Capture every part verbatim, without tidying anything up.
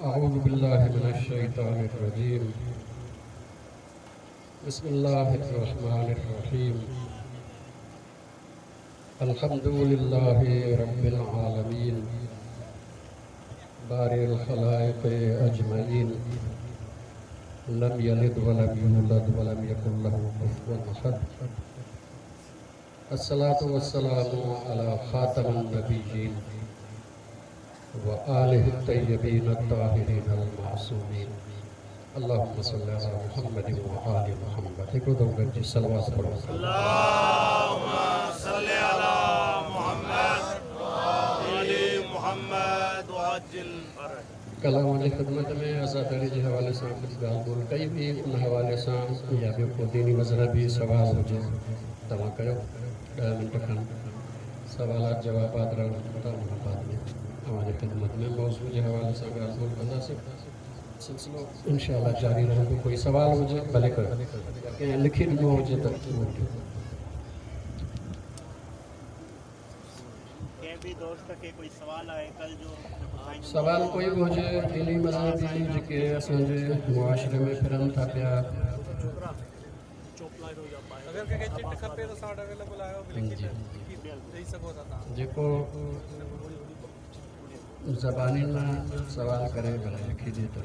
أعوذ بالله من الشيطان الرجيم. بسم الله الرحمن الرحيم. الحمد لله رب العالمين، بارئ الخلائق أجمعين، لم يلد ولم يولد ولم يكن له كفوا أحد. الصلاة والسلام على خاتم النبيين وآله الطيبين الطاهرين المعصومين. اللهم صل على محمد وآل محمد. هڪڙو دفعو گڏجي صلوات پڙهو. اللهم صل على محمد وآل محمد وعجل فرج. ڪالهه اوهان جي خدمت ۾ عزاداري جي حوالي سان ڪجهه ڳالهه ٻولهه ڪئي هئي. ان حوالي سان يا ٻيو ڪو ديني مذهبي سوال هجي، توهان ڪيو. ڏهه منٽ کن سوالات جوابات رهن ٿا. ان کان بعد ۾ اوهان جي خدمت ۾ موضوع جي حوالي سان ڳالهه ٻولهه ڪنداسين. سلسلو انشاء جاري رهندو. ڪوئي سوال هجي، ڀلي ڪيو، يا ڪنهن لکي ڏنو هجي ته اهو ڏيو. ڪنهن به دوست کي ڪوئي سوال آهي، ڪل جو جيڪو سائين جو سوال موضوع ڪوئي به هجي، ديني مذهبي، جيڪي اسان جي معاشري ۾ ڦرن ٿا پيا. اگر ڪنهن کي چٽ کپي ته اسان وٽ اويليبل آهي، به لکي جي. ڏيئي سگهو ٿا توهان. جيڪو زباني مان سوال ڪري، ڀلي لکي ڏئي ته.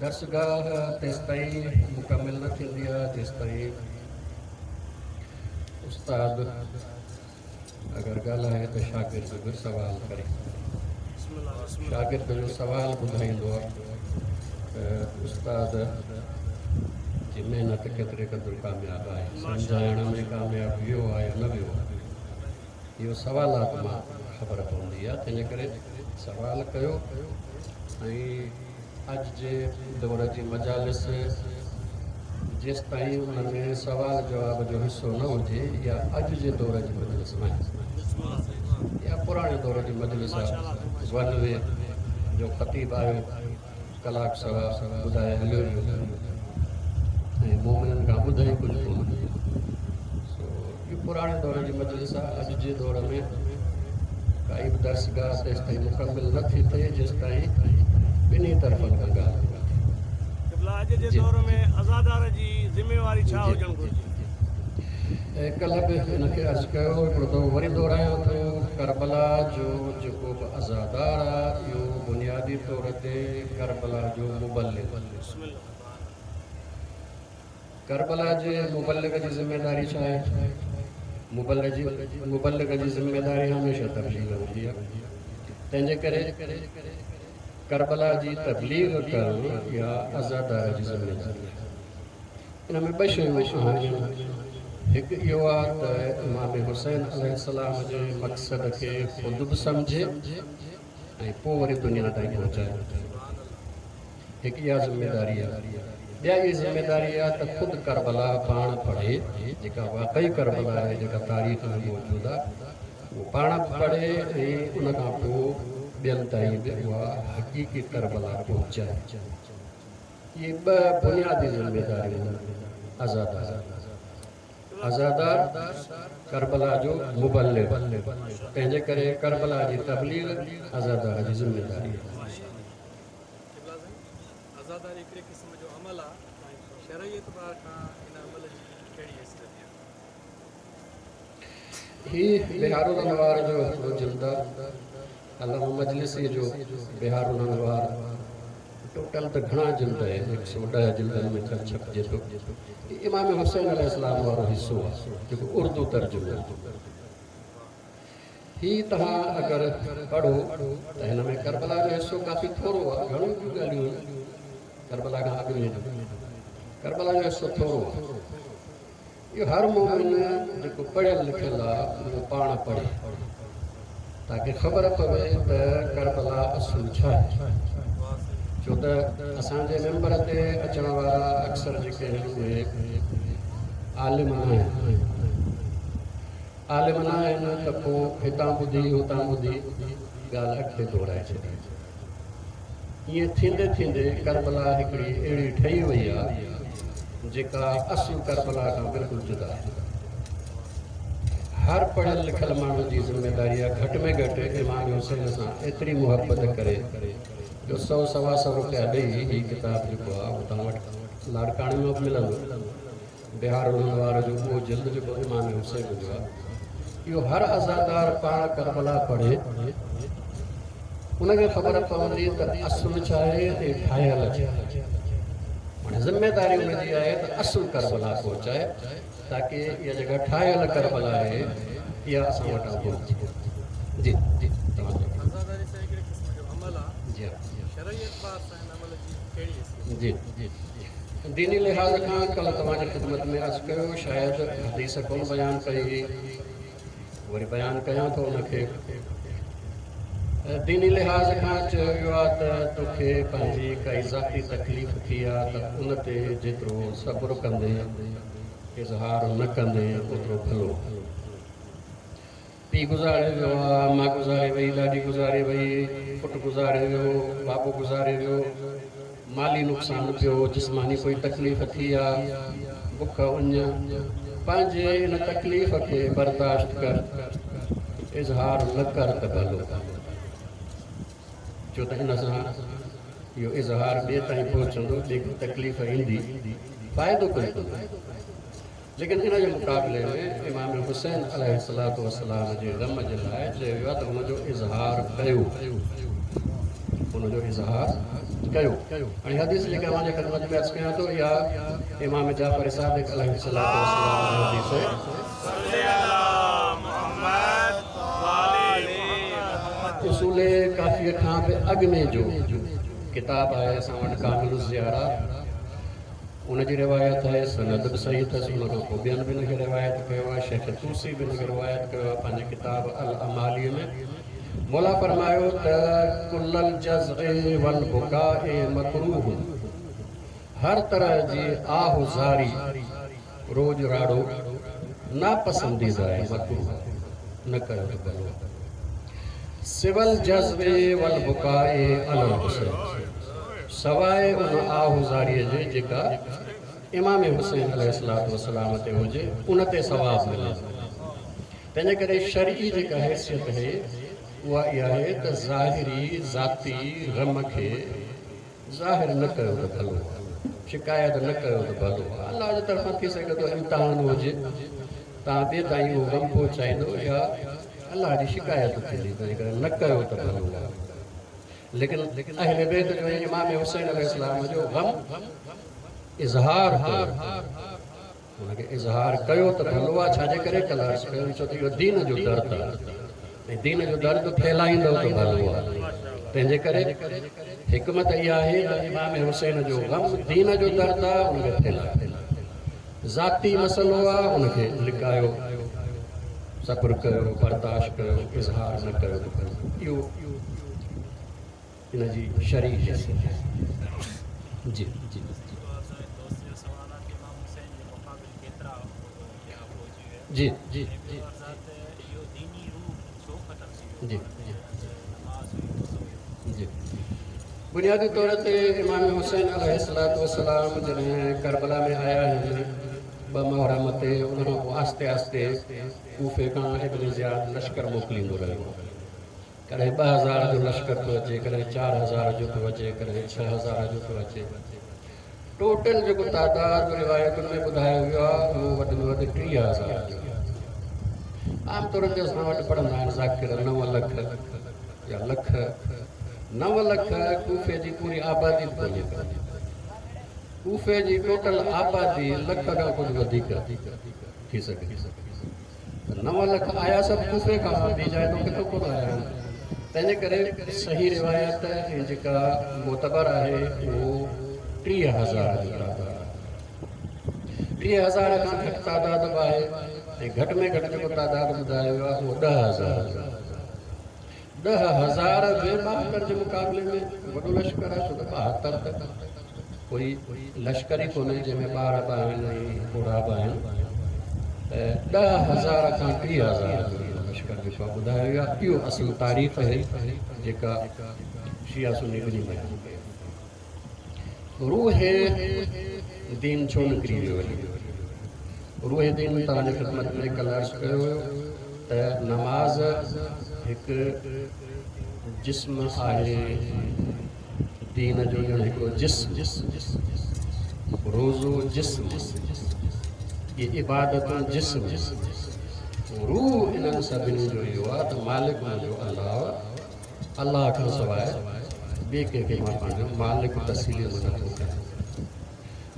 درسگاهه تيستائين مڪمل نه ٿيندي آهي، جيستائين استاد اگر ڳالهائي ته شاگرد به سوال ڪري. بسم الله، بسم الله. شاگرد جو سوال ٻڌائيندو آهي ته استاد جي محنت ڪيتري قدر ڪامياب آهي، سمجهائڻ ۾ ڪامياب ويو آهي يا نه ويو آهي. اهو سوالات مان خبر پوندي آهي. تنهن جي ڪري سوال ڪيو. ۽ اڄ جي دور جي مجالس جيستائين ان ۾ سوال جواب جو حصو نه هجي، يا اڄ جي دور جي مجلس نه آهي يا پراڻي دور جي مجلس آهي، ون وي جو خطيب آيو، ڪلاڪ سوا ٻڌائي هليو ويو ۽ مومنن کان ٻڌائي ڪجهه ڪونه. سو اهو پراڻي دور جي مجلس آهي. اڄ جي دور ۾ ڪائي به درسگاهه تيستائين مڪمل نه ٿي ٿئي، جيستائين ٻنهي طرفن کان ڳالهه نه ٿئي. قبلا، اڄ جي جي. دور ۾ عزادار جي ذميواري ڇا جي. هجڻ گهرجي؟ ۽ ڪلهه به هن کي عرض ڪيو، هڪڙو دفعو وري دهرايان ٿو. ڪربلا جو جيڪو به عزادار آهي، اهو بنيادي طور تي ڪربلا جو مبلغ. بسم الله. ڪربلا جي مبلغ جي ذميداري ڇا آهي؟ مبلغ جي مبلغ جي ذميداري هميشه تبليغ هوندي آهي. تنهن جي ڪري ڪربلا جي تبليغ ڪرڻ يا عزادار جي ذميداري آهي. ان ۾ ٻه شيون آهن. هڪ اهو آهي ته امام حسين عليه السلام جي مقصد کي خود به سمجهي ۽ پوءِ وري دنيا تائين پهچائي. هڪ اها ذميداري آهي. ٻيا اها ذميداري آهي ته خود ڪربلا پاڻ پڙهي، جيڪا واقعي ڪربلا آهي، جيڪا تاريخ ۾ موجود آهي، اهو پاڻ به پڙهي ۽ ان کان پوءِ ٻين تائين به اها حقيقي ڪربلا پهچائي. اهي ٻه بنيادي ذميداريون آهن عزادار. عزادار ڪربلا جو مبلغ، تنهن جي ڪري ڪربلا جي تبليغ عزادار جي ذميداري آهي. قبلا سائين، عزاداري هڪڙي قسم جو عمل آهي. شرعي اعتبار کان ان عمل جي ڪهڙي حيثيت آهي؟ هي بهار الانوار جو هڪڙو جلد آهي، علامه مجلسي جو بهار الانوار. ٽوٽل ته گهڻا جلد آهن، هڪ سؤ ڏهه جلدن ۾ ڇپ ڇپجي ٿو. هي امام حسين عليه السلام وارو حصو آهي، جيڪو اردو ترجمو آهي. هي توهان اگر پڙهو ته هن ۾ ڪربلا جو حصو ڪافي ٿورو آهي. گهڻيون ٻيون ڳالهيون آهن ڪربلا کان اڳ ۾ جو. ڪربلا جو حصو ٿورو آهي. اهو هر مومن جيڪو پڙهيل لکيل آهي، اهو پاڻ پڙهي، تاڪه خبر پوي ته ڪربلا اصل ڇا آهي. ڇو ته اسان جي منبر تي اچڻ وارا اڪثر جيڪي آهن، اهي عالم نه آهن. عالم نه آهن ته پوءِ هتان ٻڌي، هتان ٻڌي، ڳالهه اڳتي دهرائي ڇڏي. ائين ٿيندي ٿيندي ڪربلا هڪڙي اهڙي ٺهي وئي آهي، جيڪا اصل ڪربلا کان بلڪل جدا آهي. هر پڙهيل لکيل ماڻهو جي ذميداري آهي گهٽ ۾ گهٽ امام حسين سان ايتري محبت ڪري جو سؤ سوا سؤ رپيا ڏيئي هي ڪتاب جيڪو آهي اهو توهان وٽ لاڙڪاڻي ۾ به ملندو. بهار الانوار جو اهو جلد جيڪو امام حسين جو آهي، اهو هر عزادار پاڻ ڪربلا پڙهي، ان کي خبر پوندي ته اصل ڇا آهي ۽ ٺاهيل ڇا آهي. هاڻي ذميداري ان جي آهي ته اصل ڪربلا پهچائي، تاڪه اها جيڪا ٺاهيل ڪربلا آهي اها اسان وٽان پهچي. جي جي توهان جو عزاداري سان هڪڙي قسم جو عمل آهي، جي شرعي اعتبار سان هن عمل جي ڪهڙي حيثيت؟ جي جي ديني لحاظ کان ڪلهه توهان جي خدمت ۾ عرض ڪيو، شايد حديث ڪونه بيان ڪئي هئي، وري بيان ڪيان ٿو ان کي. ديني لحاظ کان چيو ويو آهي ته توکي پنهنجي ڪائي ذاتي تڪليف ٿي آهي ته ان تي جيترو صبر ڪندي، اظهار نه ڪندي، اوترو ڀلو. پيءُ گذاري ويو آهي، ماءُ گذاري وئي، ڏاڏي گذاري وئي، پٽ گذاري ويو، بابو گذاري ويو، مالي نقصان پيو، جسماني ڪوئي تڪليف ٿي آهي، بک اڃ، پنهنجي ان تڪليف کي برداشت ڪر، اظهار نه ڪر ته ڀلو. ڇو ته ان سان اهو اظهار ٻئي تائين پهچندو، ٻئي کي تڪليف ايندي، فائدو ڪوئي ڪونهي. ليڪن ان جي مقابلي ۾ امام حسين عليه الصلوة والسلام جي غم جي لاءِ چيو ويو آهي ته هن جو اظهار ڪيو، هن جو اظهار ڪيو. هاڻي حديث جيڪا اوهان جي خدمت ۾ عرض ڪيان ٿو، اها امام جعفر صادق عليه الصلوة والسلام جي حديث آهي. اصول ڪافيءَ کان به اڳ ۾ جو ڪتاب آهي اسان وٽ ڪامل الزيارات، ان جي روايت آهي، سند به صحيح اٿس. ان کان پوءِ ٻين به هن کي روايت ڪيو آهي، شيخ طوسي به هن کي روايت ڪيو آهي پنهنجي ڪتاب ال اماليءَ ۾. مولا فرمايو ته ڪل الجزع والبڪاء مڪروه، هر طرح جي آه زاري، روڄ راڙو ناپسنديده آهي، مڪروه، نه ڪيو ته ڀلو. سوى الجزع والبڪاء علي الحسين، سواءِ ان آه زاريءَ جي جيڪا امام حسين عليه الصلوة والسلام تي هجي، ان تي ثواب ملي. تنهن جي ڪري شرعي جيڪا حيثيت آهي اها اها آهي ته ظاهري ذاتي غم کي ظاهر نه ڪيو ته ڀلو آهي، شڪايت نه ڪيو ته ڀلو آهي. الله جي طرفان ٿي سگهي ٿو امتحان هجي، توهان ٻئي تائين اهو غم پهچائيندو يا الله جي شڪايت ٿيندي، تنهن ڪري نه ڪيو ته ڀلو آهي. ليڪن اهل بيت جو امام حسين عليه السلام جو غم اظهار ڪيو، هن کي اظهار ڪيو ته ڀلو آهي. ڇا جي ڪري؟ ڪلهه عرض ڪيو، ڇو ته اهو دين جو درد آهي ۽ دين جو درد ڦهلائيندو ته ڀلو آهي. تنهن جي ڪري حڪمت اها آهي ته امام حسين جو غم دين جو درد آهي، ان کي ڦهلايو. ذاتي مسئلو آهي، ان کي لڪايو، صبر ڪيو، برداشت ڪيو، اظهار نه ڪيو ته ڀلو. اهو ان جي شرعي حيثيت. جي جي دوست جو سوال آهي ته امام حسين جي مقابل ڪيترا ٻيا فوجي هئا؟ جي جي ۽ ٻيو عرض آهي ته اهو ديني روح ڇو ختم ٿي ويو؟ جي. نماز هئي، روزو هيو. جي، بنيادي طور تي امام حسين عليه الصلوة والسلام جڏهن ڪربلا ۾ آيا آهن ٻه محرم تي، ان کان پوءِ آهستي آهستي ڪوفي کان ابن زياد لشڪر موڪليندو رهيو. ڪڏهن ٻه هزار جو لشڪر ٿو اچي، ڪڏهن چار هزار جو ٿو اچي، ڪڏهن ڇهه هزار جو ٿو اچي. ٽوٽل جيڪو تعداد روايتن ۾ ٻڌايو ويو آهي اهو وڌ ۾ وڌ ٽيهه هزار جو. عام طور تي اسان وٽ پڙهندا آهن ذاڪر نو لک يا لک. نو لک ڪوفي جي پوري آبادي به ڪونهي ڪا. ڪوفي جي ٽوٽل آبادي لک کان ڪجهه وڌيڪ ٿي سگهي. ته نو لک آيا سڀ ڪوفي کان، ٻي جاءِ تان ڪٿان ڪونه آيا آهن. تنهن جي ڪري صحيح روايت ۽ جيڪا معتبر آهي اهو ٽيهه هزار جو تعداد آهي. ٽيهه هزار کان گهٽ تعداد به آهي ۽ گهٽ ۾ گهٽ جيڪو تعداد ٻڌايو ويو آهي اهو ڏهه هزار جو. ڏهه هزار به ٻاهتر جي مقابلي ۾ وڏو لشڪر آهي، ڇو ته ٻاهتر ته ڪوئي لشڪر ئي ڪونهي جنهن ۾ ٻار به آهن ۽ پوڙها به آهن. ته ڏهه هزار کان ٽيهه هزار جو لشڪر جيڪو آهي ٻڌايو ويو آهي. اهو اصل تاريخ آهي جيڪا شيعا سني ٻنهي بيان ڪئي. روح دين ڇو نڪري ويو؟ روح دين توهان جي خدمت ۾ ڪلهه عرض ڪيو هيو. त नमाज़ हिकु जिस्म आहे, दीन जो ॼण हिकिड़ो जिस्म, रोज़ो जिस्म, इहे इबादतूं जिस्म, रूह इन्हनि सभिनी जो इहो आहे त मालिक मुंहिंजो अल्लाह, अल्लाह खां सवाइ ॿिए कंहिंखे मां पंहिंजो मालिक तस्लीम नथो कयां।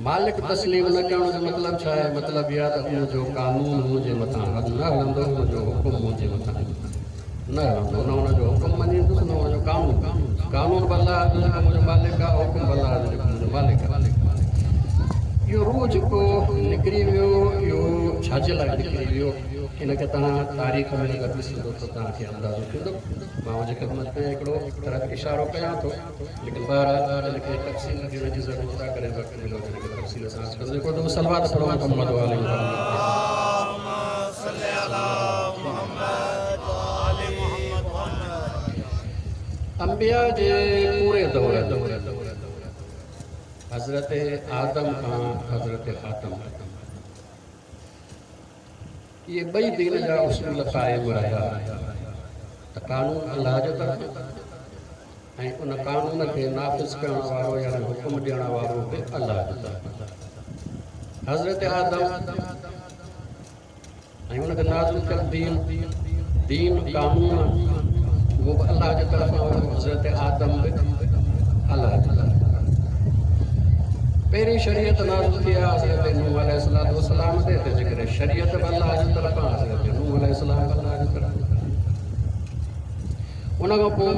मालिक तस्लीम न करण जो मतिलबु छा आहे? मतिलबु इहो आहे त उनजो कानून मुंहिंजे मथां न हलंदो, उनजो हुकुम मुंहिंजे मथां न हलंदो, न हुनजो हुकुम मञींदुसि न हुनजो कानून। कानून बि अल्लाह जो जेको मुंहिंजो मालिक आहे, हुकुम बि अल्लाह जो जेको मुंहिंजो मालिक आहे। इहो रूह जेको निकिरी वियो, इहो छाजे लाइ निकिरी वियो? इन खे तव्हां तारीख़ में अगरि ॾिसंदो त तव्हांखे अंदाज़ो थींदो। मां हुनजे ख़िदमत में हिकिड़ो तरफ़ इशारो कयां थो, लेकिन बहरहाल हिनखे तफ़सील ॾियण जी ज़रूरत आहे। कॾहिं वक़्तु मिलो त हिनखे तफ़सील सां अर्ज़ु कंदुसि। हिकिड़ो दफ़ो सलवात पढ़ो मोहम्मद वाले। अंबिया जे पूरे दौर हज़रत आदम खां हज़रत ख़ातम, इहे ॿई दीन जा उसूल क़ाइमु रहिया त कानून अल्लाह जे तरफ़ ऐं उन कानून खे नाफ़िज़ करण वारो यानी हुकुम ॾियण वारो बि अल्लाह जे तरफ़। हज़रत आदम ऐं हुनखे नाज़िल कयल दीन, दीन कानून उहो बि अल्लाह जे तरफ़ां हुयो। हज़रत आदम बि अल्लाह जे तरफ़। पहिरीं शरीयत नाज़िल थी आहे हज़रत नूह अलैहिस्सलाम ते, तंहिंजे करे शरीयत बि अल्लाह जे तरफ़ां, हज़रत नूह अलैहिस्सलाम बि अल्लाह जे तरफ़ां। उन खां पोइ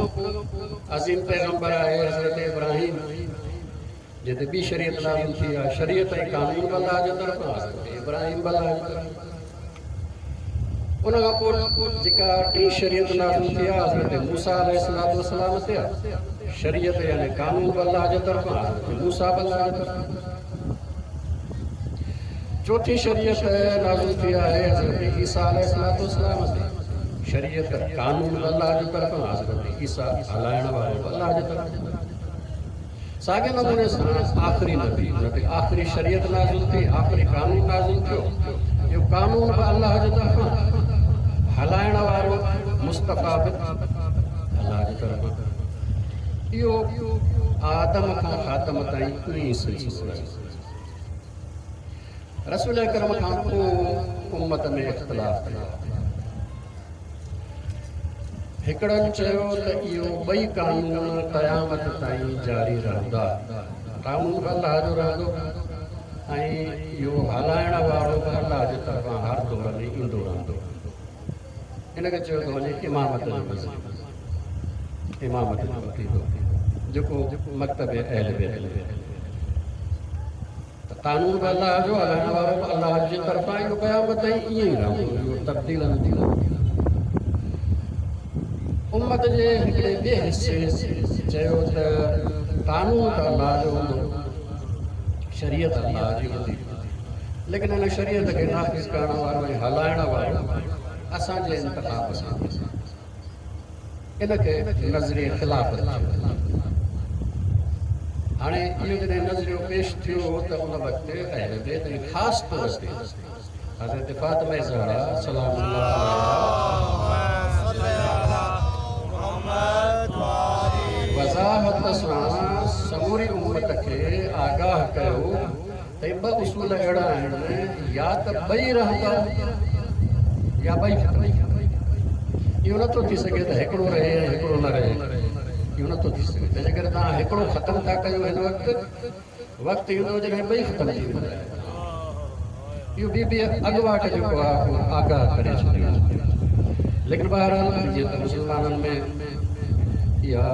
अज़ीम पैगंबर आहे हज़रत इब्राहिम, जिते ॿी शरीयत नाज़िल थी आहे। शरीयत ऐं कानून बि अल्लाह जे तरफ़ां, हज़रत इब्राहिम बि अल्लाह जे तरफ़ां। उन खां पोइ जेका टी शरीयत नाज़िल थी आहे हज़रत मूसा अलैहिस्सलाम ते आहे। शरीयत यानी कानून बि अल्लाह जे तरफ़ां, हज़रत मूसा बि अल्लाह जे तरफ़ां। चौथी शरीयत नाज़िल थी आहे हज़रत ईसा अलैहिस्सलाम ते। शरीयत कानून बि अल्लाह जे तरफ़ां, हज़रत ईसा हलाइण वारो बि अल्लाह जे तरफ़ां। साॻे नमूने सां आख़िरी नबी, हुन ते आख़िरी शरीयत नाज़िल थी, आख़िरी कानून नाज़िल थियो। इहो कानून बि अल्लाह जे तरफ़ां, हलाइण वारो मुस्तफ़ा बि अल्लाह जे तरफ़ां। इहो आदम खां ख़ातम ताईं ईअं सिलसिलो रहियो। रसूल अकरम खां पोइ उम्मत में इख़्तिलाफ़ थियो। हिकिड़नि चयो त इहो ॿई कानून क़यामत ताईं जारी रहंदा, कानून बि अल्लाह जो रहंदो ऐं इहो हलाइण वारो बि अल्लाह जे तरफ़ां हर दौर में ईंदो रहंदो। हिनखे चयो थो वञे इमामत जो नज़रियो, इमामत जो अक़ीदो जेको मकतब अहल बैत। त कानून बि अल्लाह जो, हलाइण वारो बि अल्लाह जे तरफ़ां, इहो क़यामत ताईं ईअं ई रहंदो, इहो तब्दील न थींदो। उम्मत जे हिकिड़े ॿिए हिसे चयो त कानून त अल्लाह जो हूंदो, शरीयत अल्लाह जी हूंदी, लेकिन हिन शरीयत खे नाफ़िज़ करण वारो ऐं हलाइण वारो असांजे इंतिखाब सां, इनखे नज़रिए ख़िलाफ़त चयो। हाणे इहो जॾहिं नज़रियो पेश थियो त उन वक़्तु अहल बैत ऐं ख़ासि तौर ते हज़रत फ़ातिमा ज़हरा सलाम वज़ाहत सां समूरी उम्मत खे आगाह कयो त ॿ उसूल अहिड़ा आहिनि, या त ॿई रहंदा या ॿई ख़तम। इहो नथो थी सघे त हिकिड़ो रहे ऐं हिकिड़ो न रहे, इहो नथो थी सघे। तंहिंजे करे तव्हां हिकिड़ो ख़तमु था कयो, हिन वक़्तु वक़्तु ईंदो जॾहिं ॿई ख़तमु थी वेंदा। इहो बीबी अॻवाट जेको आहे उहो आगाह करे छॾियो। लेकिन बहरहाल जीअं त मुस्लमाननि में इहा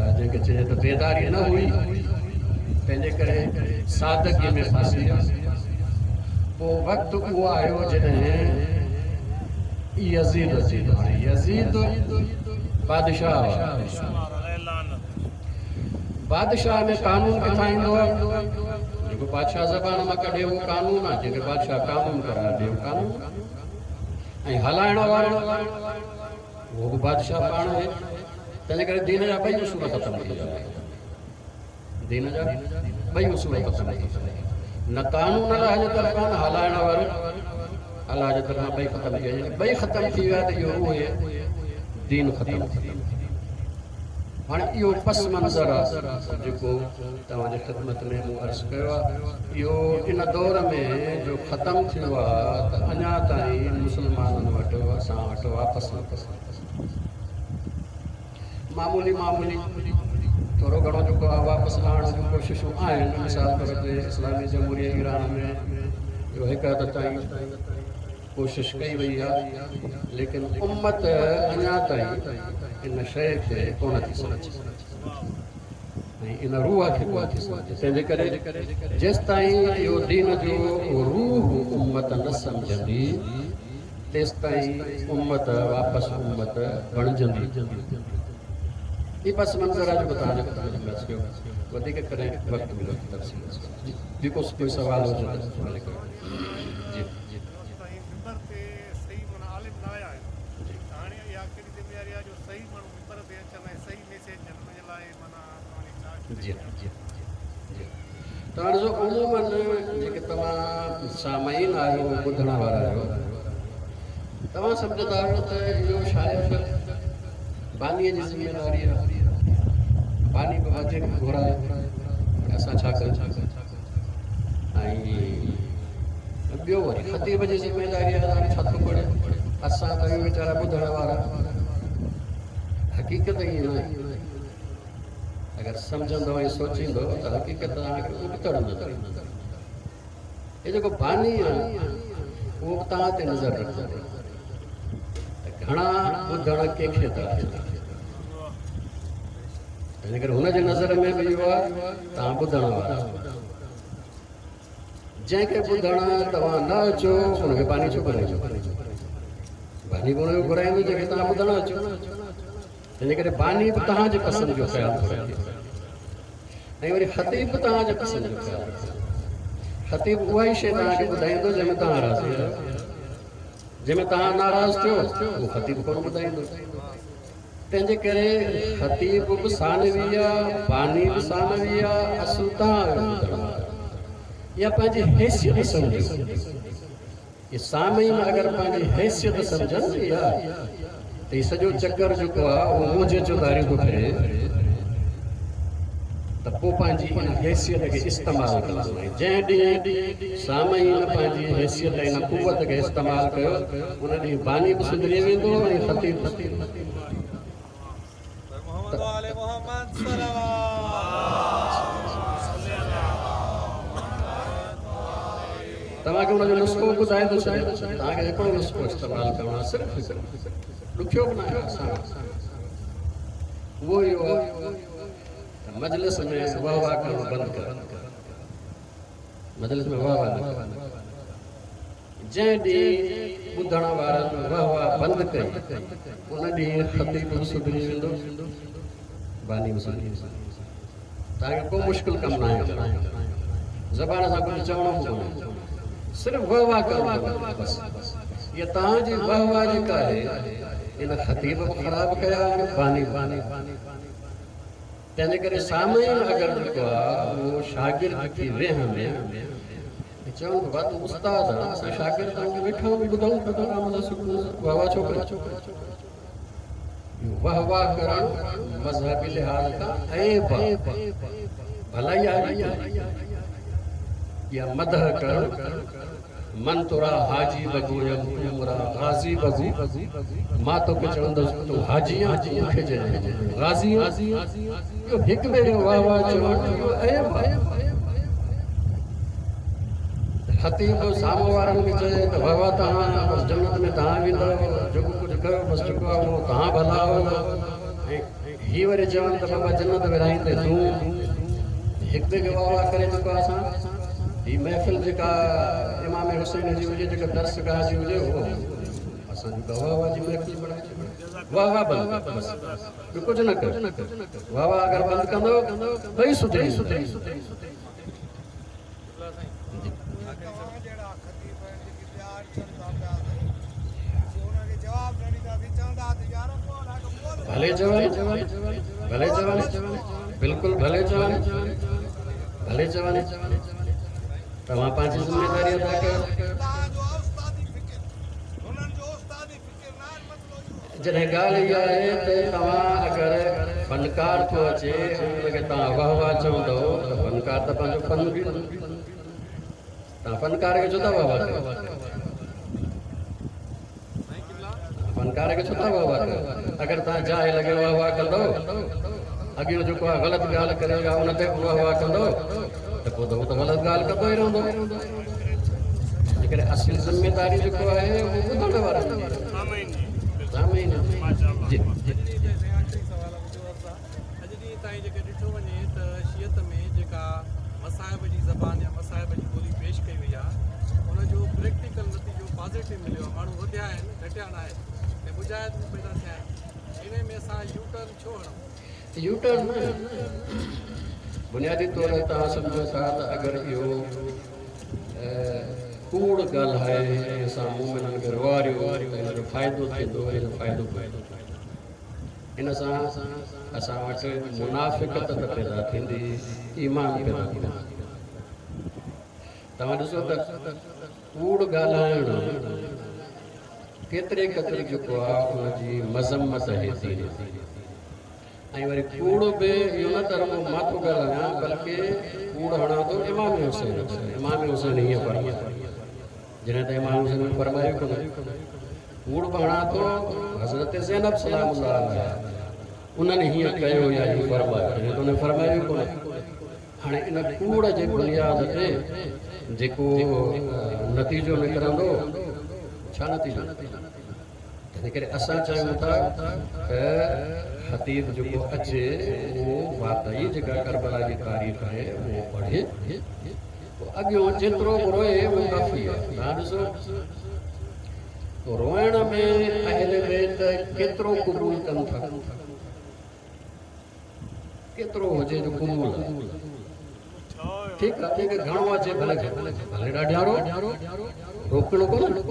जंहिंखे चइजे त बेदारी न हुई, तंहिंजे करे सादगी में फंसी विया। पोइ वक़्तु उहो आयो जॾहिं यज़ीद अची वियो। हाणे यज़ीद बादशाह बादशाह में कानून किथां ईंदो आहे? जेको बादशाह ज़बान मां कढे उहो कानून आहे, जंहिंखे बादशाह कानून करार ॾिए उहो कानून, ऐं हलाइण वारो उहो बि बादशाह पाण आहे। तंहिंजे करे दीन जा ॿई उसूल ख़तमु थी विया, दीन जा ॿई उसूल ख़तमु थी विया। न कानून अल्लाह जे तरफ़ां, न हलाइण वारो الله جي طرفان ٻئي ختم ٿي ويا. ٻئي ختم ٿي ويا ته اهو روح دين ختم ٿي ويو. هاڻي اهو پس منظر آهي جيڪو توهان جي خدمت ۾ مون عرض ڪيو آهي. اهو ان دور ۾ جو ختم ٿيو آهي ته اڃا تائين مسلمانن وٽ اسان وٽ واپس نه معمولي معمولي ٿورو گهڻو جيڪو آهي واپس آڻڻ جون ڪوششون آهن. مثال طور تي اسلامي جمهوريه ايران ۾ اهو هڪ حد تائين ڪوشش ڪئي وئي آهي، ليڪن امت اڃا تائين ان شيءِ کي ڪونه ٿي سمجهي ۽ ان روح کي ڪونه ٿي سمجهي. تنهن جي ڪري جيس تائين اهو دين جو روح امت نه سمجهندي تيس تائين امت واپس امت بڻجندي. هي پس منظر آهي جيڪو توهان جي خدمت ۾ عرض ڪيو. وڌيڪ ڪڏهن وقت مليو ته تفصيل جيڪو ڪوئي سوال هجي ته ڀلي ڪيو. جي جي سائين منبر تي صحيح معنيٰ عالم نه آيا آهن ته هاڻي اها ڪهڙي ذميواري آهي جو صحيح ماڻهو منبر تي اچن ۽ صحيح ميسيج ڏين، ان جي لاءِ معنيٰ توهان جي ڇا جي جي جي توهان ڏسو عمومن جيڪي توهان سامعين آهيو ٻڌڻ وارا آهيو توهان سمجهندا آهيو ته اهو شايد بانيءَ جي ذميداري آهي، باني به وڌيڪ گهرائي اسان ڇا ڪيون. ۽ ٻيو وري خطيب جي ذميداري آهي هاڻي ڇا ٿو پڙهي، اسان ته آهيون ويچارا ٻڌڻ وارا. حقيقت ائين نه آهي. اگر سمجهندو ۽ سوچيندو ته حقيقت توهان کي ابتڙ نظر ايندو. هي جيڪو باني آهي اهو به توهان تي نظر رکندو ته گهڻا ٻڌڻ ڪنهن کي ٿا اچن. تنهن ڪري هن جي نظر ۾ به اهو آهي توهان ٻڌڻ وارا، جنهن کي ٻڌڻ توهان نه اچو هن کي باني ڇو گهرائيندو؟ باني به هن کي گهرائيندو جنهن کي توهان ٻڌڻ اچو. تنهن ڪري باني به توهان جي پسند جو خيال ٿو رکي ۽ وري خطيب به توهان جي پسند جو خيال رکي. خطيب اها ئي شيءِ توهان کي ٻڌائيندو جنهن ۾ توهان راضي آهيو، جنهن ۾ توهان ناراض ٿيو اهو خطيب ڪونه ٻڌائيندو. تنهن جي ڪري خطيب به ثانوي آهي، باني به ثانوي آهي، اصل توهان آهيو ٻڌڻ وارا. يا پنهنجي حيثيت سمجهو. اهي سامعين اگر پنهنجي حيثيت سمجهن يا ته هي سڄو چڪر جيڪو آهي اهو منهنجي چوڌاري ٿو ڦري ته پوءِ پنهنجي ان حيثيت کي استعمال ڪندا. جنهن ڏينهن سامعين پنهنجي حيثيت ۽ ان قوت کي استعمال ڪيو ان ڏينهن باني به سڌري ويندو ۽ خطيب به. محمد وآل محمد صلوات. توهان کي هن جو نسخو ٻڌائي ٿو ڇڏيان. توهان کي هڪڙو نسخو استعمال ڪرڻو آهي، صرف هڪڙو، ڏکيو به نه آهي، آسان آهي. اهو اهو آهي ته مجلس ۾ واهه واهه ڪرڻ بند ڪر، مجلس ۾ واهه واهه نه ڪر. جنهن ڏينهن ٻڌڻ وارن واهه واهه بند ڪئي ان ڏينهن خطيب به سڌري ويندو، باني به سڌري ويندو. توهان کي ڪو مشڪل ڪم نه آهي، زبان سان ڪجهه چوڻو به ڪونهي، صرف واهه واهه ڪرڻو پوندو بس. اها توهان جي واهه واهه جيڪا آهي ان خطيب به خراب ڪيا آهن، باني به. تنهن جي ڪري سامعين اگر جيڪو آهي اهو شاگرد ٿي ويهن ۽ چون بابا تون استاد آهي، اسان شاگرد آهيون، ويٺا آهيون ٻڌون آرام سان سڪون سان، واهه واهه ڇو ڪري؟ اهو واهه واهه ڪرڻ مذهبي لحاظ کان عيب آهي، ڀلائي آهي يا مدح ڪرڻ. من ترا حاجي بگو يا تون غازي بگو، مان توکي چوندس تون حاجي آهين، مون کي چئجانء غازي آهين. اهو هڪ ٻئي کي واهه واهه چوڻ اهو عيب آهي. خطيب سامهون وارن کي چئي ته واهه واهه توهان بس جنت ۾ توهان ويندؤ، جيڪو ڪجهه ڪيو بس جيڪو آهي اهو توهان ڀلا آهيو. ۽ هي وري چون ته بابا جنت ورهائيندي تون. هڪ ٻئي کي واهه واهه ڪري جيڪو آهي اسان هي محفل جيڪا امام حسين جي هجي، جيڪا درسگاهه جي هجي، اهو اسان جي واهه واهه جي محفل بڻائي ڇڏيو. واهه واهه بند ڪر بس، ٻيو ڪجهه نه ڪر. واهه واهه اگر بند ڪندو ٻئي سڌري ويندو. توهان جهڙا خطيب آهن جيڪي پيار چون ٿا پيا انهن کي جواب نه ڏينداسين، چوندا ته يار ڀلي چون، ڀلي چون، بلڪل ڀلي چون، ڀلي چون. توهان پنهنجي ذميداري ادا ڪيو. توهان جو استادي فڪر जॾहिं ॻाल्हि इहा आहे त तव्हां अगरि फनकार थो अचे उनखे तव्हां वाह वाह चवंदव त फनकार त पंहिंजो फन ॾींदो। तव्हां फनकार खे छो था वाह वाह कयो? फनकार खे छो था वाह वाह कयो? अगरि तव्हां जाहिल खे वाह वाह कंदव, अॻियों जेको आहे ग़लति ॻाल्हि करे उन ते वाह वाह कंदव त पोइ त उहो त ग़लति ॻाल्हि कंदो ई रहंदो। जेकॾहिं असुल ज़िम्मेदारी जेको आहे उहो ॿुधण वारनि जी। आमीन जी। आख़िरी सवाल मुंहिंजो अर्ज़ु आहे, अॼु ॾींहुं ताईं जेके ॾिठो वञे त शियत में जेका मसाइब जी ज़बान या मसाइब जी ॿोली पेश कई वई आहे उनजो प्रैक्टिकल नतीजो पॉज़िटिव मिलियो आहे, माण्हू वधिया आहिनि, घटिया न आहिनि ऐं मुजाहिद बि पैदा थिया आहिनि। इन में असां यू टर्न छो हणूं? यू टर्न न, बुनियादी तौर ते तव्हां सम्झो था त अगरि इहो कूड़ ॻाल्हाए ऐं असां मोमिननि खे रुआरियो त हिन जो फ़ाइदो थींदो, हिन जो फ़ाइदो कोन्हे। इन सां असां वटि मुनाफ़िकत त पैदा थींदी, ईमान पैदा थींदो। तव्हां ॾिसो त कूड़ ॻाल्हाइणु केतिरे क़दुरु जेको आहे उनजी मज़म्मत आहे थी। ऐं वरी कूड़ बि इहो न त रुॻो मां थो ॻाल्हायां, बल्कि कूड़ हणां थो इमाम हुसैन। इमाम हुसैन हीअं फरमायो, जॾहिं त इमाम हुसैन फरमायो कोन्हे। कूड़ बि हणां थो हज़रत ज़ैनब सलाम उन्हनि हीअं कयो या हीअं फरमायो, जॾहिं त उन्हनि फरमायो कोन्हे। हाणे इन कूड़ जे बुनियाद ते जेको नतीजो निकिरंदो, छा नतीजो? तंहिं करे असां चाहियूं था त ख़तीब जेको अचे उहो वाकई जेका करबला जी तारीख़ आहे उहो पढ़े, पोइ अॻियों जेतिरो बि रोए उहो काफ़ी आहे। तव्हां ॾिसो रोइण में अहल बैत केतिरो क़बूल कनि था, केतिरो हुजे जो क़बूल आहे। ठीकु आहे, ठीकु आहे, घणो अचे भले भले ॾाढिया रो, रोकणो कोन्हे,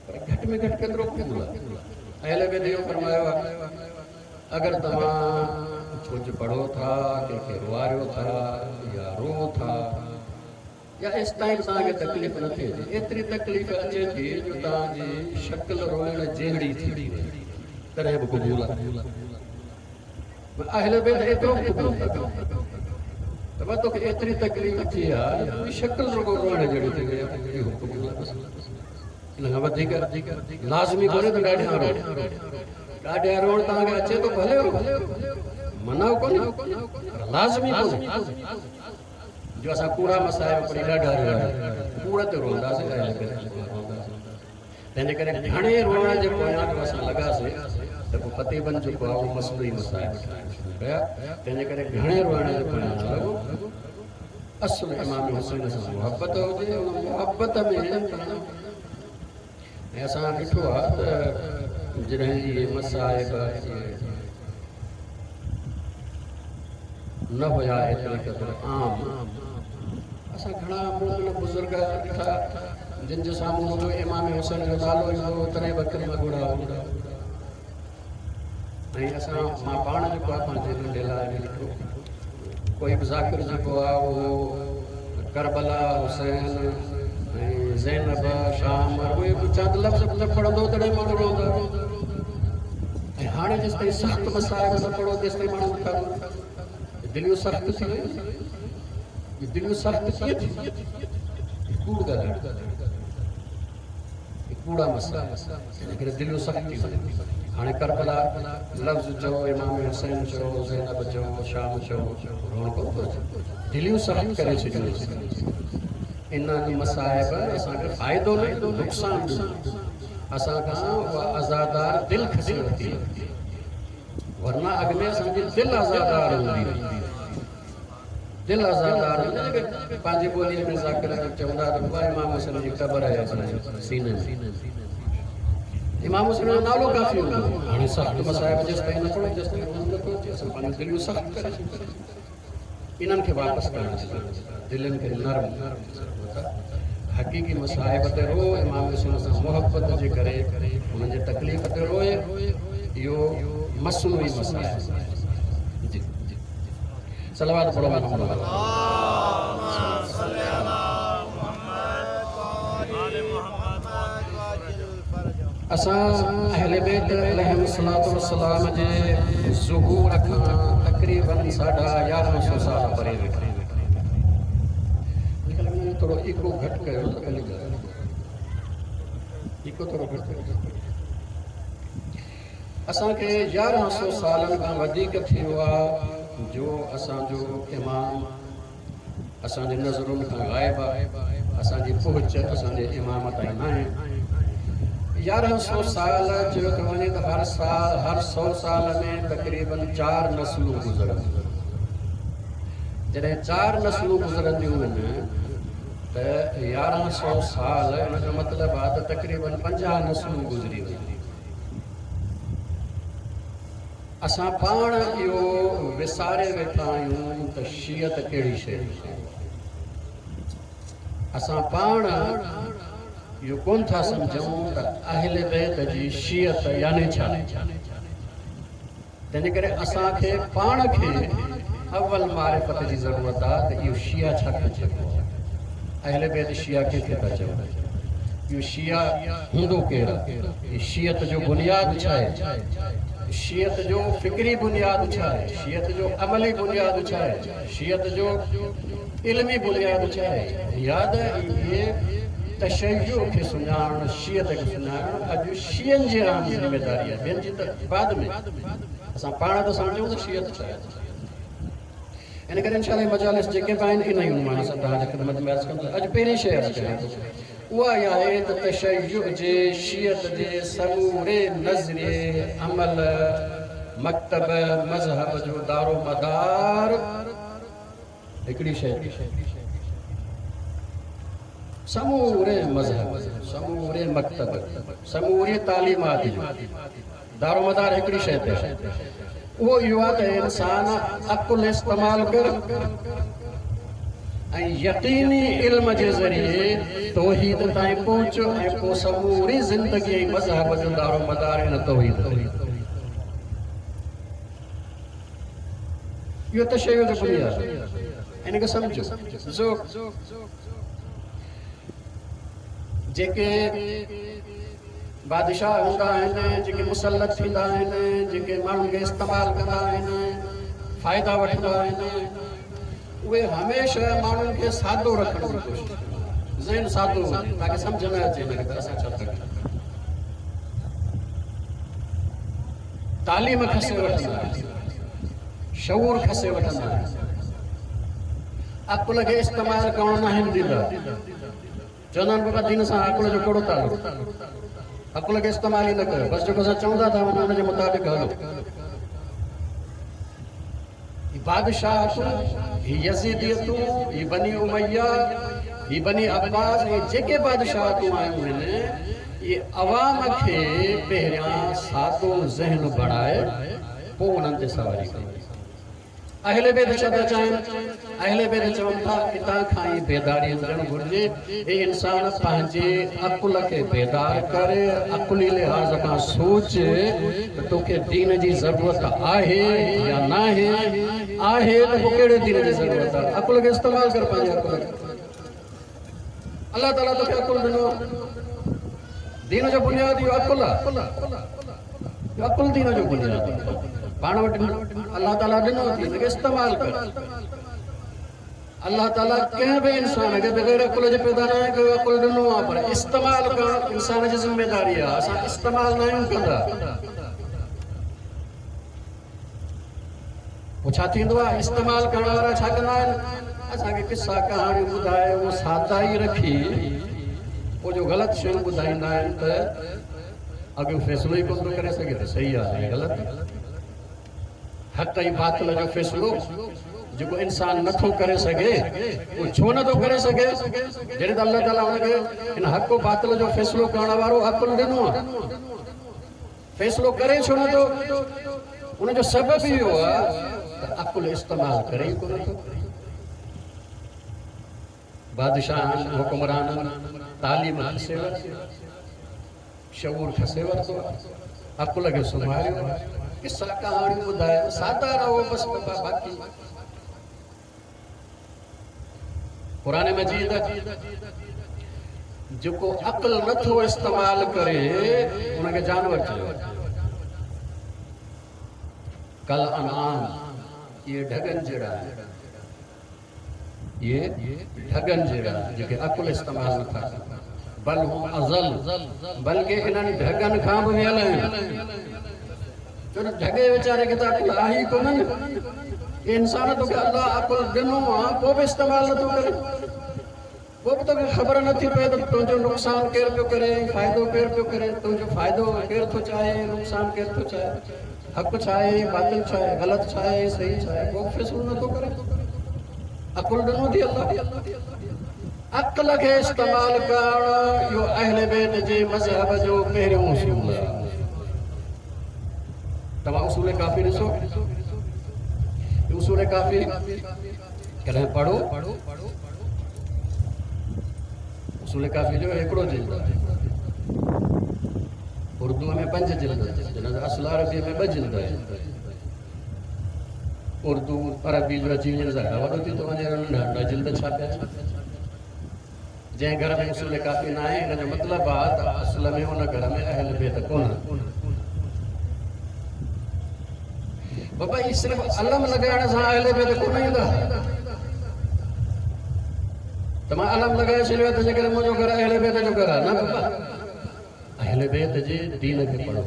पर घटि में घटि केतिरो क़बूल आहे। अहल बैत इहो फरमायो आहे, अगरि तव्हां कुझु पढ़ो था, कंहिंखे रुआरियो था या रो था, या एसि ताईं तव्हांखे तकलीफ़ न थिए, एतिरी तकलीफ़ अचे थी जो तव्हांजी शकिल रोइण जहिड़ी थी वञे, तॾहिं बि क़बूल आहे। अहल बैत एतिरो क़बूल त मां तोखे एतिरी तकलीफ़ थी आहे, तुंहिंजी शकिल रुॻो रोइण जहिड़ी थी वई आहे, इहो क़बूल आहे। बसि इन खां वधीक लाज़मी कोन्हे त ॾाढिया रो, ॾाढिया रोइण तव्हांखे अचे थो भले रो, मना कोन्हे, पर लाज़मी कोन्हे जो असां कूड़ा मसाइब पढ़ी ॾाढा रोया, कूड़ ते रोअंदासीं, तंहिंजे करे घणे रोइण जे पोयां जो असां लॻासीं त पोइ ख़तीबनि जेको आहे उहो मसलो ई मसाइब ठाहिण शुरू कया। तंहिंजे करे घणे रोइण जे पोयां न लॻो। असुलु इमाम हुसैन सां मुहबत हुजे, उन मुहबत में ऐं असां ॾिठो आहे त जॾहिं इहे मसाइब न हुया एतिरे क़दुरु आम, असां घणा मोमिन बुज़ुर्ग ॾिठा जिन जे साम्हूं रुॻो इमाम हुसैन जो नालो ईंदो हो तॾहिं बि अखियुनि मां ॻोढ़ा हूंदा। ऐं असां मां पाण जेको आहे पंहिंजे नंढे लाइ में ॾिठो, कोई बि ज़ाकिर जेको आहे उहो करबला हुसैन ऐं ज़ैनब शाम उहे बि चंद लफ़्ज़ न पढ़ंदो तॾहिं माण्हू रोअंदो। ऐं हाणे जेसि ताईं सख़्तु मसाइब न पढ़ो तेसि ताईं माण्हू नथा रोअनि। दिलियूं सख़्तु थी वयूं, दिलियूं सख़्तु कीअं थी? कूड़ ॻाल्हाइण, कूड़ा मसइला, तंहिंजे करे दिलियूं सख़्तु थी वयूं। हाणे करबला लफ़्ज़ चओ, इमाम हुसैन चओ, ज़ैनब चओ, शाम चओ, रोअणु कोन थो अचे, दिलियूं सख़्तु करे छॾियूं। इन्हनि मसाइब असांखे फ़ाइदो न नुक़सानु ॾिनो, असां खां उहा आज़ादार दिलि खसी वरिती, वरना अॻु में असांजी दिलि आज़ादार हूंदी हुई। दिलि आज़ादार हूंदी, पंहिंजी ॿोलीअ में ज़ाकिर चवंदा त बाबा इमाम हुसैन जी क़बर आहे असांजे सीने में, इमाम हुसैन जो नालो काफ़ी हूंदो। हाणे सख़्तु मसाइब जेसि ताईं न पढ़ो तेसि ताईं रोअणु नथो अचे। असां पंहिंजूं दिलियूं सख़्तु करे छॾियूं, इन्हनि खे वापसि करणु जी ज़रूरत आहे, दिलनि खे नरम हक़ीक़ी मसाइब ते रो, इमाम हुसैन सां मुहबत जे करे हुननि जे तकलीफ़ ते रोए, इहो मसनूई मसाइब। जी सलावत पढ़ो मोहम्मद। आले मोहम्मद। اسان اهل بيت عليهم الصلوة والسلام جي ظهور کان تقريبن ساڍا يارهن سؤ سال پري ويٺا. ٿورو ايڪو گهٽ ڪيو ته ڀلي ڳالهه، ايڪو ٿورو گهٽ ڪيو. اسان کي يارهن سؤ سالن کان وڌيڪ ٿي ويو آهي جو اسان جو امام اسان جي نظرن کان غائب آهي، اسان جي پهچ اسان جي امام تائين نه آهي. يارهن سؤ سال چيو ٿو وڃي ته هر سال هر سؤ سال ۾ تقريبن چار نسلون گذرنديون. جڏهن چار نسلون گذرنديون آهن ته يارهن سؤ سال ان جو مطلب آهي ته تقريبن پنجاهه نسلون گذري ويون. اسان پاڻ اهو وساري ويٺا آهيون ته شيعت ڪهڙي شيءِ آهي. اسان پاڻ اهو ڪونه ٿا سمجهون ته اهل بيت جي شيعت يعني ڇا. تنهن جي ڪري اسان کي پاڻ کي اول معرفت جي ضرورت آهي ته اهو شيعا ڇا کي چئبو آهي، اهل بيت شيعا ڪنهن کي ٿا چون، اهو شيعا هوندو ڪير آهي، شيعت جو بنياد ڇا آهي، شيعت جو فڪري بنياد ڇا آهي، شيعت جو عملي بنياد ڇا آهي، شيعت جو علمي بنياد ڇا آهي. ياد اهي تشيع کي سڃاڻڻ، شيعت کي سڃاڻڻ اڄ شيعن جي عام ذميداري آهي، ٻين جي ته بعد ۾. اسان پاڻ ته سمجهون ته شيعت ڇا آهي. ان ڪري انشاء الله مجالس جيڪي به آهن ان ئي عنوان سان توهان جي خدمت ۾ عرض ڪندس. اڄ پهرين شيءِ عرض ڪيان ٿو اها اها آهي ته تشيع جي شيعت جي سموري نظريي، عمل، مڪتب، مذهب جو دارو مدار هڪڙي شيءِ، سموري مذهب، سموري مڪتب، سموري تعليمات جو دارو مدار هڪڙي شيءِ تي آهي. اهو اهو آهي ته انسان عقل استعمال ڪر ۽ يقيني علم جي ذريعي توحيد تائين پهچ ۽ پوءِ سموري زندگي ۽ مذهب جو دارو مدار ان توحيد تي. اهو تشيع جو بنياد آهي، ان کي سمجهو. ڏسو جيڪي بادشاهه هوندا آهن، جيڪي مسلط ٿيندا آهن، جيڪي ماڻهن کي استعمال ڪندا آهن، فائدا وٺندا آهن، اهي هميشه ماڻهن کي سادو رکڻ جي ڪوشش ڪندا آهن، ذهن سادو هجي تاڪه سمجهه نه اچي هن کي ته اسان ڇا ٿا ڪيون. تعليم کسي وٺندا آهن، شعور کسي وٺندا آهن، عقل کي استعمال ڪرڻ نه آهن ڏيندا. چوندا آهن بابا دين سان عقل جو ڪهڙو تعلق، عقل کي استعمال ئي نه ڪيو، بس جيڪو اسان چوندا ٿا وڃون ان جي مطابق هلو. هي بادشاهتون، هي يزيديتون، هي بني اميه، هي بني عباس، اهي جيڪي بادشاهتون آيون آهن اهي عوام کي پهريان سادو ذهن بڻائي پوءِ انهن تي سواري ڪئي. اهل بيت ڇا ٿا چاهين؟ اهل بيت چون ٿا هتان کان ئي بيداري اچڻ گهرجي. هي انسان پنهنجي عقل کي بيدار ڪري، عقلي لحاظ کان سوچ ته توکي دين جي ضرورت آهي يا نه آهي. آهي ته پوءِ ڪهڙي دين جي ضرورت آهي؟ عقل کي استعمال ڪر پنهنجي عقل کي. الله تعاليٰ توکي عقل ڏنو، دين جو بنياد اهو عقل آهي. عقل دين جو بنياد آهي. پاڻ وٽ الله تعاليٰ ڏنو اٿئي، هن کي استعمال ڪر. الله تعاليٰ ڪنهن به انسان کي بغير عقل جي پيدا نه آهي ڪيو، عقل ڏنو آهي، پر استعمال ڪرڻ انسان جي ذميداري آهي. اسان استعمال نه آهيون ڪندا. پوءِ ڇا ٿيندو آهي؟ استعمال ڪرڻ وارا ڇا ڪندا آهن؟ اسان کي قصا ڪهاڻيون ٻڌائي اهو سادا ئي رکي پوءِ جو غلط شيون ٻڌائيندا آهن ته اڳيون فيصلو ئي ڪونه ٿو ڪري سگهي ته صحيح آهي يا غلط. حق ۽ باطل جو فيصلو جيڪو انسان نٿو ڪري سگهي، اهو ڇو نٿو ڪري سگهي؟ جڏهن ته الله تعاليٰ هن کي هن حق باطل جو فيصلو ڪرڻ وارو عقل ڏنو آهي، فيصلو ڪري ڇو نٿو؟ ان جو سبب اهو آهي ته عقل استعمال ڪري ئي ڪونه ٿو. بادشاهن، حڪمرانن تعليم کسي ورتي، شعور کسي ورتو، عقل کي سمهاريو، قصا ڪهاڻيون ٻڌائي سادا رهو بس بابا. باقي قرآن مجيد जेको अक़ल नथो इस्तेमाल करे उनखे जानवर चयो। कल अनआम, इहे ढॻनि जहिड़ा आहिनि, इहे ढॻनि जहिड़ा जेके अक़ुल इस्तेमाल नथा कनि। बल हुम अज़ल, बल्कि इन्हनि ढॻनि खां बि वियल आहिनि। छो त ढॻे वीचारे खे त अक़ुल आहे ई कोन न। इंसान तोखे अल्लाह अक़ुल ॾिनो आहे, पोइ बि इस्तेमाल नथो करे, पोइ बि तोखे ख़बर नथी पए त तुंहिंजो नुक़सानु केरु पियो करे, फ़ाइदो केरु पियो करे, तुंहिंजो फ़ाइदो केरु थो चाहे, नुक़सानु केरु थो चाहे, हक़ छा आहे, बातिल छा आहे, ग़लति छा आहे, सही छा आहे, को बि फ़ैसिलो नथो करे। अक़ुल ॾिनो अथई अल्लाह, अक़ल खे इस्तेमाल करणु इहो अहले बैत जे मज़हब जो पहिरियों उसूल आहे। तव्हां उसूल काफ़ी ॾिसो, उसूल काफ़ी कॾहिं पढ़ो। उसूल काफ़ी जो हिकिड़ो जिल्द आहे, उर्दूअ में पंज जिल्द आहिनि, असुल अरबीअ में ॿ जिल्द आहिनि। उर्दू अरबी जो अची वञण सां वॾो थी थो वञे, नंढा नंढा जिल्द छापिया। जंहिं घर में उसूल काफ़ी न आहे, हिन जो मतिलबु आहे त असल में उन घर में अहल बैत कोन। बाबा इहे सिर्फ़ु अलम लॻाइण सां अहल बैत कोन ईंदा। त मां अलम लॻाए छॾियो आहे त जेकॾहिं मुंहिंजो घर अहल बैत जो घर आहे, न बाबा, अहल बैत जे दीन खे पढ़ो।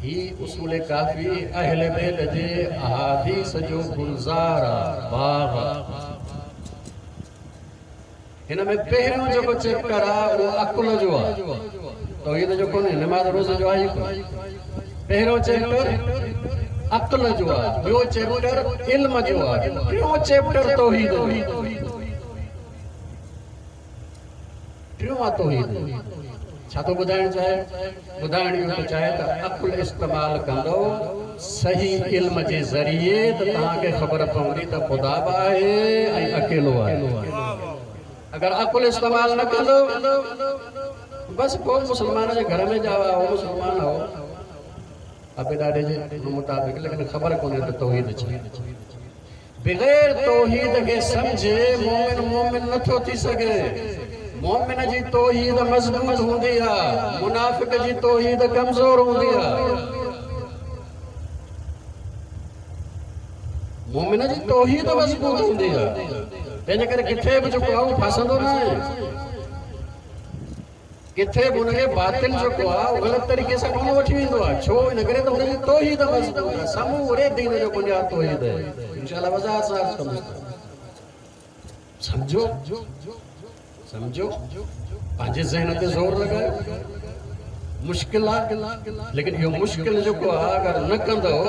ही उसूल काफ़ी अहल बैत जे अहादीस जो गुलज़ार आहे, बाग़ आहे। हिन में पहिरियों जेको चैप्टर आहे उहो अक़ुल जो आहे, तौहीद जो कोन्हे, नमाज़ रोज़े जो आहे ई कोन। पहिरियों चैप्टर अक़ुल जो आहे, ॿियो चैप्टर इल्म जो आहे, टियों चैप्टर तौहीद जो, टियों आहे तौहीद। छा थो ॿुधाइणु चाहे? ॿुधाइणु इहो थो चाहे त अक़ुल इस्तेमाल कंदो सही इल्म जे ज़रिए त तव्हांखे ख़बर पवंदी त ख़ुदा बि आहे ऐं अकेलो आहे। अगरि अक़ुल इस्तेमाल न कंदो, बसि पोइ मुस्लमान जे घर में ॼावा हो, मुस्लमान हो अबे ॾाॾे जे मुताबिक़, लेकिन ख़बर कोन्हे त तौहीद छा। बग़ैर तौहीद खे सम्झे मोमिन मोमिन नथो थी सघे। मोमिन जी तौहीद मज़बूत हूंदी आहे, मुनाफ़िक जी तौहीद कमज़ोर हूंदी आहे। मोमिन जी तौहीद मज़बूत हूंदी आहे, तंहिंजे करे किथे बि जेको आहे उहो फासंदो न आहे, किथे बि हुनखे बातिल जेको आहे उहो ग़लति तरीक़े सां कोन वठी वेंदो आहे। छो? इन करे त हुनजी तौहीद मज़बूत आहे। समूरे दीन जो बुनियाद तौहीद आहे। इंशाअल्लाह वज़ाहत सां अर्ज़ु कंदुसि। सम्झो सम्झो, पंहिंजे ज़हन ते ज़ोर लॻायो। मुश्किल आहे, लेकिन इहो मुश्किल जेको आहे अगरि न कंदव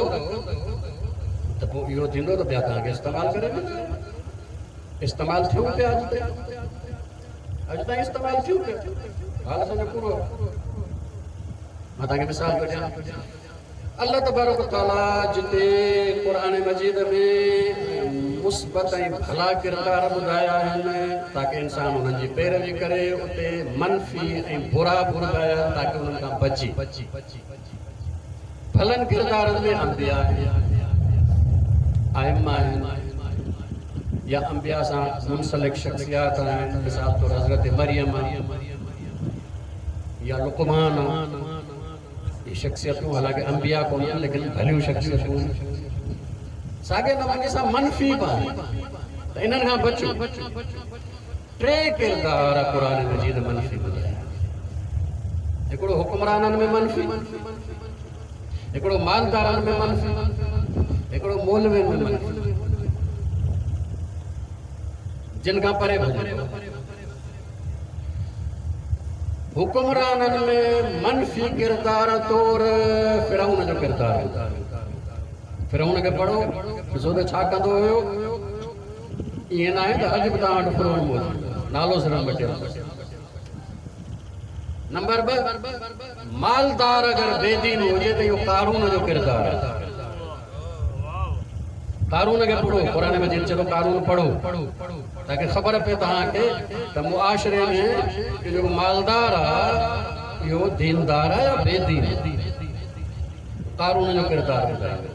त पोइ इहो थींदो त ॿिया तव्हांखे इस्तेमालु करे वेंदा। इस्तेमालु थियूं पिया अॼु ताईं, अॼु ताईं इस्तेमालु थियूं पिया, हाल असांजो पूरो। मां तव्हांखे मिसाल थो ॾियां, अल्लाह तबारक तआला जिते क़ुरान मजीद में मुस्बत ऐं भला किरदार ॿुधाया आहिनि ताकि इंसान उन्हनि जी पैरवी करे, उते मनफ़ी ऐं बुरा बि ॿुधाया आहिनि ताकि उन्हनि खां बचे। भलनि किरदारनि में अंबिया आहिनि, आइमा आहिनि, या अंबिया सां मुंसलिक शख्सियात आहिनि, मिसाल तौरु हज़रत मरियम या लुक़मान। इहे शख्सियतूं हालांकि अंबिया कोन्हनि, लेकिन भलियूं शख्सियतूं। साॻे नमूने सां मनफ़ी बि आहिनि, त इन्हनि खां बचो। टे किरदार क़ुरान मजीद मनफ़ी ॿुधाया, हिकिड़ो हुकुमराननि में मनफ़ी, हिकिड़ो मालदारनि में मनफ़ी, हिकिड़ो मौलवियुनि में मनफ़ी, जिन खां परे भॼो। हुकुमराननि में मनफ़ी किरदार तौर फिरौन जो किरदार। फिरौन खे पढ़ो, ॾिसो त छा कंदो हुयो। ईअं न आहे त अॼु बि तव्हां वटि फिरौन मौजूदु, नालो सिर्फ़ु बचियल। नंबर ॿ, मालदार अगरि बेदीन हुजे त इहो कारून जो किरदारु आहे। कारून खे पढ़ो, क़ुरान मजीद चए थो कारून पढ़ो, ताकि ख़बर पए तव्हांखे त मुआशरे में जेको मालदार आहे इहो दीनदार आहे या बेदीन। कारून जो किरदारु ॿुधायो।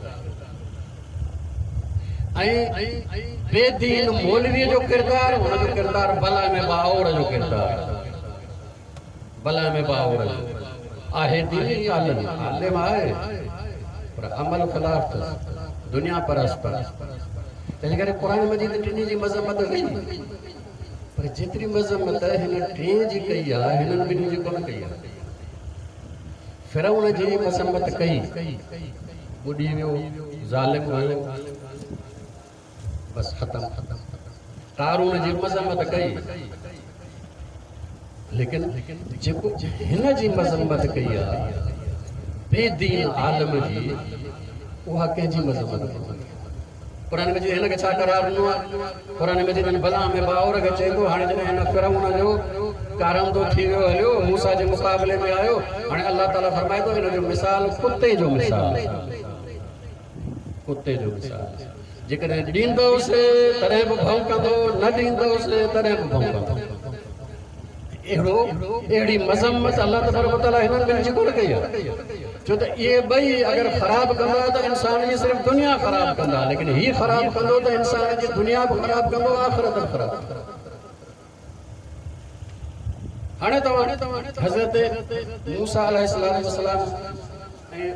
۽ بي دين مولويء جو ڪردار، هن جو ڪردار بلعام باعور جو ڪردار، بلعام باعور جو آهي. ديني عالم، عالم آهي پر عمل خلاف اٿس، دنيا پرست آهي. تنهن ڪري قرآن مجيد ٽنهي جي مذمت ڪئي، پر جيتري مذمت هن ٽئين جي ڪئي آهي، هنن ٻنهي جي ڪونه ڪئي آهي. فرعون جي مذمت ڪئي، ٻڏي ويو، ظالم هيو، بس ختم. قارون جي مذمت ڪئي، ليڪن جيڪو هن جي مذمت ڪئي آهي بي دين عالم جي، اها ڪنهن جي مذمت ڪونهي. قرآن مجيد هن کي ڇا قرار ڏنو آهي؟ قرآن مجيد هن بلعام باعور کي چئي ٿو، هاڻي جڏهن هن فرعون جو ڪارندو ٿي ويو هليو، موسيٰ جي مقابلي ۾ آيو، هاڻي الله تعاليٰ فرمائي ٿو هن جو مثال ڪتي جو مثال، ڪتي جو مثال. جيڪڏهن ڏيندوس تڏهن به ڀونڪندو، نه ڏيندوس تڏهن به ڀونڪندو. اهڙو اهڙي مذمت الله تبارڪ وتعاليٰ هنن ٻن جي ڪونه ڪئي آهي، ڇو ته اهي ٻئي اگر خراب ڪندا ته انسان جي صرف دنيا خراب ڪندا، ليڪن هي خراب ڪندو ته انسان جي دنيا به خراب ڪندو، آخرت به خراب ڪندو. هاڻي توهان حضرت موسيٰ عليه السلام ۽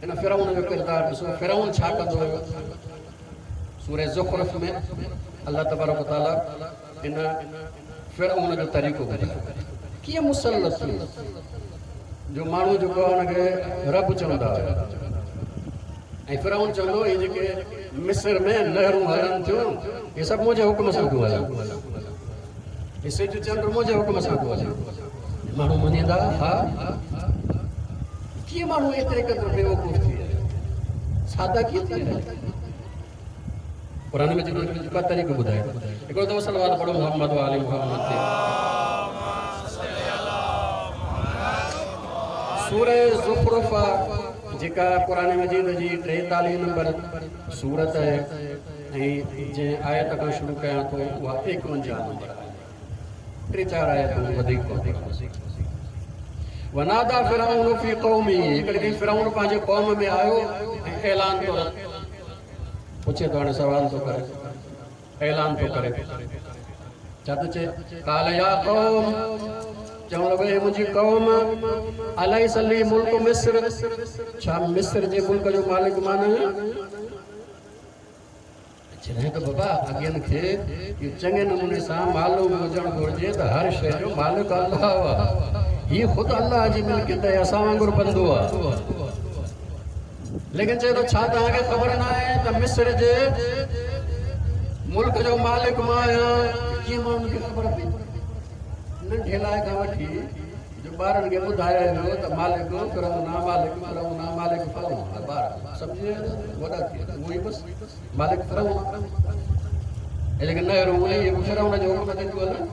هن فرعون جو ڪردار ڏسو، فرعون ڇا ڪندو هيو. سورة زخرف ۾ الله تبارڪ وتعاليٰ ان فرعون جو طريقو ٻڌايو، ڪيئن مسلط ٿيو جو ماڻهو جيڪو آهي ان کي رب چوندا هيا. ۽ فرعون چوندو هي جيڪي مصر ۾ نهرون هلن ٿيون اهي سڀ منهنجي حڪم سان ٿيون هلن، هي سج چنڊ منهنجي حڪم سان ٿو هلي. ماڻهو مڃيندا ها؟ ڪيئن ماڻهو ايتري قدر بيوقوف ٿي ويا، سادا ڪيئن ٿي ويا؟ قرآن ۾ جيڪو ٻه طريقو ٻڌايو. هڪڙو دفعو صلوات پڙهو محمد و آل محمد تي. سورة زخرف جيڪا قرآن مجيد جي ٽيتاليهه نمبر سورت آهي، ۽ جنهن آيت کان شروع ڪيان ٿو اها ايڪونجاهه نمبر آهي، ٽي چار آيتون وڌيڪ ڪونه. ونادا فرعون في قومه، هڪڙي ڏينهن فرعون پنهنجي قوم ۾ آيو ۽ اعلان ٿو پڇي ٿو، هاڻي سوال ٿو ڪري، اعلان ٿو ڪري، ڇا ٿو چئي؟ قال يا قوم، چوڻ لڳو اي منهنجي قوم، اليس لي ملڪ مصر، ڇا مصر جي ملڪ جو مالڪ مان نه آهيان؟ جڏهن ته بابا اڳين کي اهو چڱي نموني سان معلوم هجڻ گهرجي ته هر شيء جو مالڪ الله آهي، هي خود الله جي ملڪيت آهي، اسان وانگر بندو آهي. ليڪن چئي ٿو ڇا توهان کي خبر نه آهي ته مصر جي ملڪ جو مالڪ مان آهيان؟ ڪيئن ماڻهن کي خبر پئي؟ ننڍي لاء کان وٺي جو ٻارن کي ٻڌايو ويو ته مالڪ فرعون آ، مالڪ فرعون آ، مالڪ فرعون آ، ٻار سمجهي ويا، وڏا ٿي ويا، اهو ئي بس مالڪ فرعون آ. ۽ جيڪي نهرون اهي به فرعون جي حڪم تي ٿيون هلن.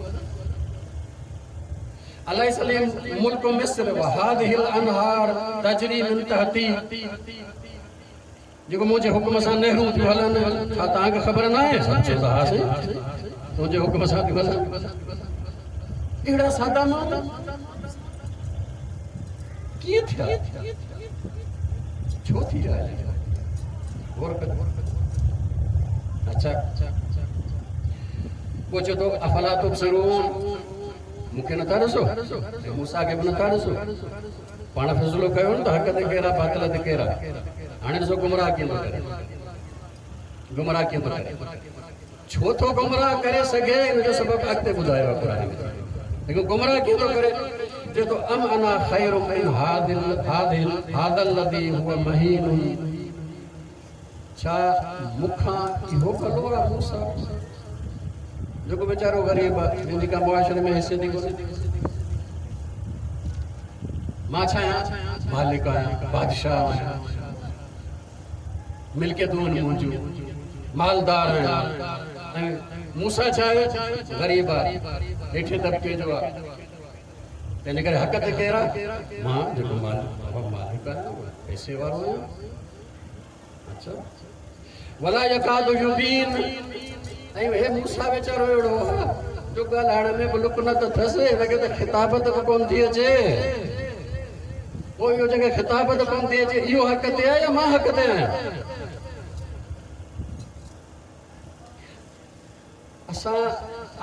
اليس لي ملڪ مصر وهذه الانهار تجري من تحتي، جيڪو منهنجي حڪم سان نهرون ٿيون هلن، ڇا توهان کي خبر نه آهي؟ سڀ چوندا ها سائين تنهنجي حڪم سان ٿيون هلن. اهڙا سادا ماڻهو ڪيئن ٿيا، ڇو ٿي ويا؟ غور ڪجو. اڇا پوء چئي ٿو افلا تبصرون، مون کي نٿا ڏسو ۽ موسيٰ کي به نٿا ڏسو؟ پاڻ فيصلو ڪيو نه ته حق تي ڪير آهي، باطل تي ڪير آهي. هاڻي ڏسو گمراهه ڪيئن ٿو ڪري، گمراهه ڪيئن ٿو ڪري، ڇو ٿو گمراهه ڪري سگهي، ان جو سبب اڳتي ٻڌايو آهي قرآن ۾. ليڪن گمراهه ڪيئن ٿو ڪري؟ چئي ٿو ام انا خير من هذا الذي هو مهين، ڇا مون کان اهو ڀلو آهي موسيٰ جيڪو ويچارو غريب آهي، جنهن جي ڪا معاشري ۾ حيثيت ئي ڪونهي؟ مان ڇا آهيان؟ مالڪ آهيان، بادشاهه آهيان، ملڪيتون آهن منهنجون، مالدار آهيان، ۽ موسيٰ ڇا آهي؟ غريب آهي، هيٺين طبقي جو آهي. تنهن ڪري حق تي ڪير آهي؟ مان جيڪو مالڪ آهيان، پئسي وارو آهيان. اڇا ولا يڪاد يبين، ۽ هي موسيٰ ويچارو اهڙو آهي جو ڳالهائڻ ۾ به لڪنت اٿس، هن کي ته خطابت به ڪونه ٿي اچي. پوء اهو جنهن کي خطابت ڪونه ٿي اچي اهو حق تي آهي يا مان حق تي آهيان؟ असां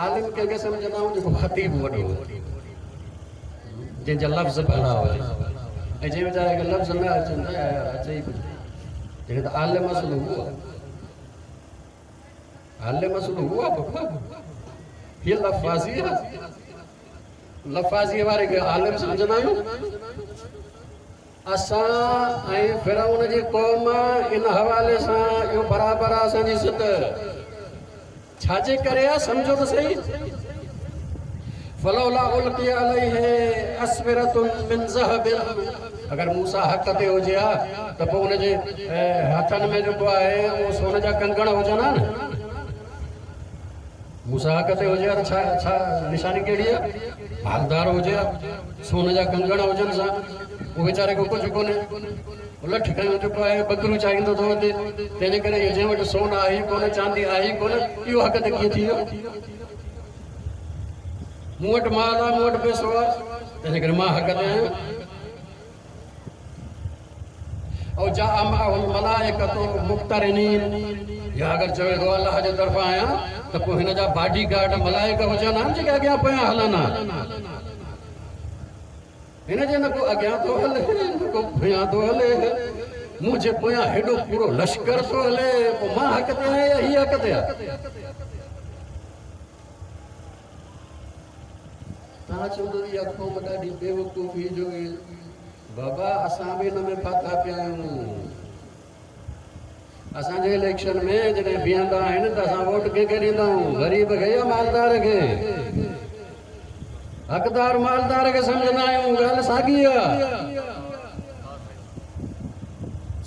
आलिम कंहिंखे सम्झंदा आहियूं जेको ख़तीब वॾो हुजे, जंहिंजा लफ़्ज़ भला हुजे, ऐं जंहिं वीचारे खे लफ़्ज़ न अचनि त यार अचे ई कुझु। जॾहिं त आलिम असुलु उहो आहे, आलिम असुलु उहो आहे बाबा। हीअ लफ़ाज़ी आहे, लफ़ाज़ीअ वारे खे आलिम सम्झंदा आहियूं असां। ऐं फिरौन जी क़ौम इन हवाले सां इहो बराबरि आहे असांजी सित। छाजे करे आहे सम्झो त सही। फलौला उल्की अलैहि अस्विरतुन मिन ज़हब, अगरि मूसा हक़ ते हुजे हा त पोइ हुनजे हथनि में जेको आहे उहो सोन जा कंगण हुजनि हा न। मूसा हक़ ते हुजे हा त छा छा निशानी कहिड़ी आहे? मालदार हुजे हा, सोन जा कंगण हुजनि सां। उहो वीचारे खे कुझु कोन्हे, लठ खयूं जेको आहे बकरियूं चाहींदो थो वधे। तंहिंजे करे इहो जंहिं वटि सोन आहे ई कोन, चांदी आहे ई कोन, इहो हक़ ते कीअं थी वियो? मूं वटि माल आहे, मूं वटि पैसो आहे, तंहिंजे करे मां हक़ ते आहियां। ऐं जा मलाइकतु मुक़तरिनीन, या अगरि चवे थो अलाह जे तरफ़ां आहियां त पोइ हिन जा बॉडी गार्ड मलाइक हुजनि हा जेके अॻियां पोयां हलनि हा। हिन जे न को अॻियां थो हले न को पोयां थो हले, मुंहिंजे पोयां हेॾो पूरो लश्कर थो हले, पोइ मां हक़ ते आहियां या हीअ हक़ ते आहे? तव्हां चवंदो इहा क़ौम ॾाढी बेवकूफ़ी जो। बाबा असां बि हिन में फाथा पिया आहियूं। असांजे इलेक्शन में जॾहिं बीहंदा आहिनि त असां वोट कंहिंखे ॾींदा आहियूं? ग़रीब खे या मालदार खे? हक़दार मालदार खे सम्झंदा आहियूं। ॻाल्हि साॻी आहे,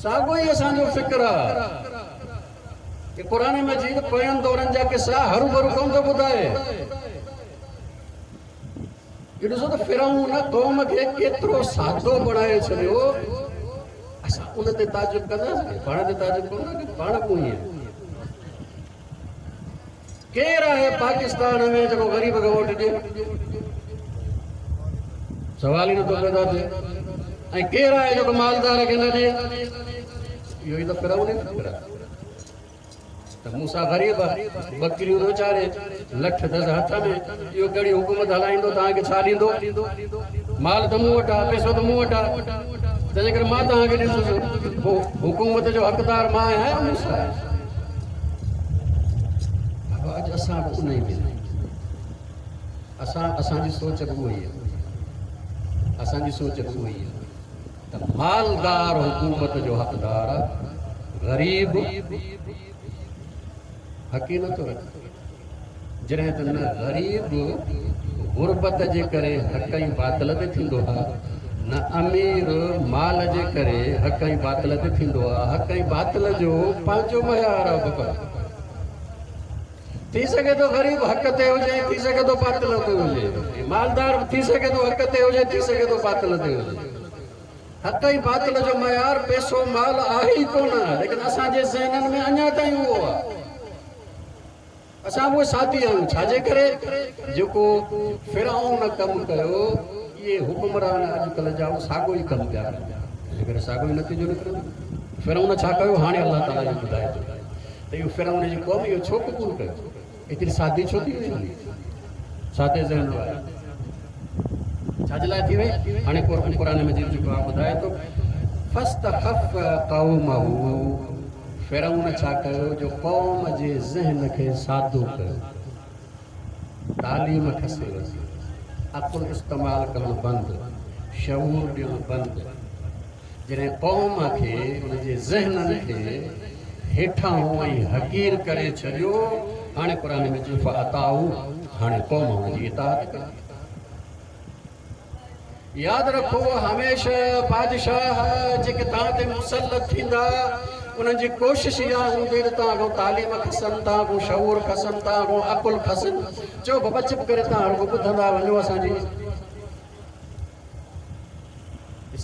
साॻियो ई असांजो फ़िक्र आहे। क़ुर मजीद पोयनि दौरनि जा किसा हरू भरू कोन थो ॿुधाए। इहो ॾिसो त फिरौन क़ौम खे केतिरो सादो बणाए छॾियो। असां उन ते ताजुब कंदासीं, पाण ते ताजुब कोन पाण कोई केरु आहे पाकिस्तान में जेको ग़रीब खे वोट ॾिए? सवाल ई नथो पैदा थिए। ऐं केरु आहे जेको मालदार खे न ॾिए? इहो ई त फिरौन ई फ़िक्र आहे। त मूसा ग़रीब आहे, बकरियूं थो चारे, लठ अथसि हथ में, इहो कहिड़ी हुकूमत हलाईंदो? तव्हांखे छा ॾींदो? माल त मूं वटि आहे, पैसो त मूं वटि आहे, तंहिंजे करे मां तव्हांखे ॾींदुसि। पोइ हुकूमत जो हक़दार मां आहियां या मूसा आहे? बाबा अॼु असां बि उन ई में, असां असांजी सोच बि उहा ई आहे, असांजी सोच बि उहा ई आहे त मालदार हुकूमत जो हक़दार आहे, ग़रीब हक़ ई नथो रखे। जॾहिं त न ग़रीब गुरबत जे करे हक़ ऐं बातिल ते थींदो आहे, न अमीर माल जे करे हक़ ऐं बातिल ते थींदो आहे। हक़ ऐं बातिल जो पंहिंजो मयार आहे बाबा। थी सघे थो ग़रीब हक़ ते हुजे, थी सघे थो बातिल ते हुजे, मालदार थी सघे थो हक़ ते हुजे, थी सघे थो बातिल ते हुजे। हक़ ऐं बातिल जो मयार पैसो माल आहे ई कोन, लेकिन असांजे ज़हननि में अञा ताईं उहो आहे। असां बि उहे साथी आहियूं। छाजे करे जेको फिरौन कमु कयो, इहे हुकुमरान अॼुकल्ह जा उहो साॻियो ई कमु पिया कनि, तंहिंजे करे साॻियो ई नतीजो निकिरंदो। फिरौन छा कयो? हाणे अलाह ताला इहो ॿुधाए थो त इहो फिरौन जी क़ौम इहो छो क़बूल कयो? एतिरी सादी छो थी वई? सादे ज़हन वारी छाजे लाइ थी वई? हाणे क़ुर मजीद जेको आहे ॿुधाए थो, फस्तख़फ़ क़ौमहू, फिरौन छा कयो जो क़ौम जे ज़हन खे सादो कयो, तालीम खसे वरी, अक़ुल इस्तेमालु करणु बंदि, शऊर ॾियणु बंदि। जॾहिं क़ौम खे उनजे ज़हननि खे हेठां ऐं हक़ीर करे छॾियो, हाणे क़ुर में चयो फ़अताऊ, हाणे क़ौम हुनजी इताअत कई। यादि रखो हमेशह बादशाह जेके तव्हां ते मुसलत थींदा, उन्हनि जी कोशिश इहा हूंदी त तव्हां खां तालीम खसनि, तव्हां खां शऊर खसनि, तव्हां खां अकुल खसनि। चओ बाबा चुप करे तव्हां रुॻो ॿुधंदा वञो। असांजी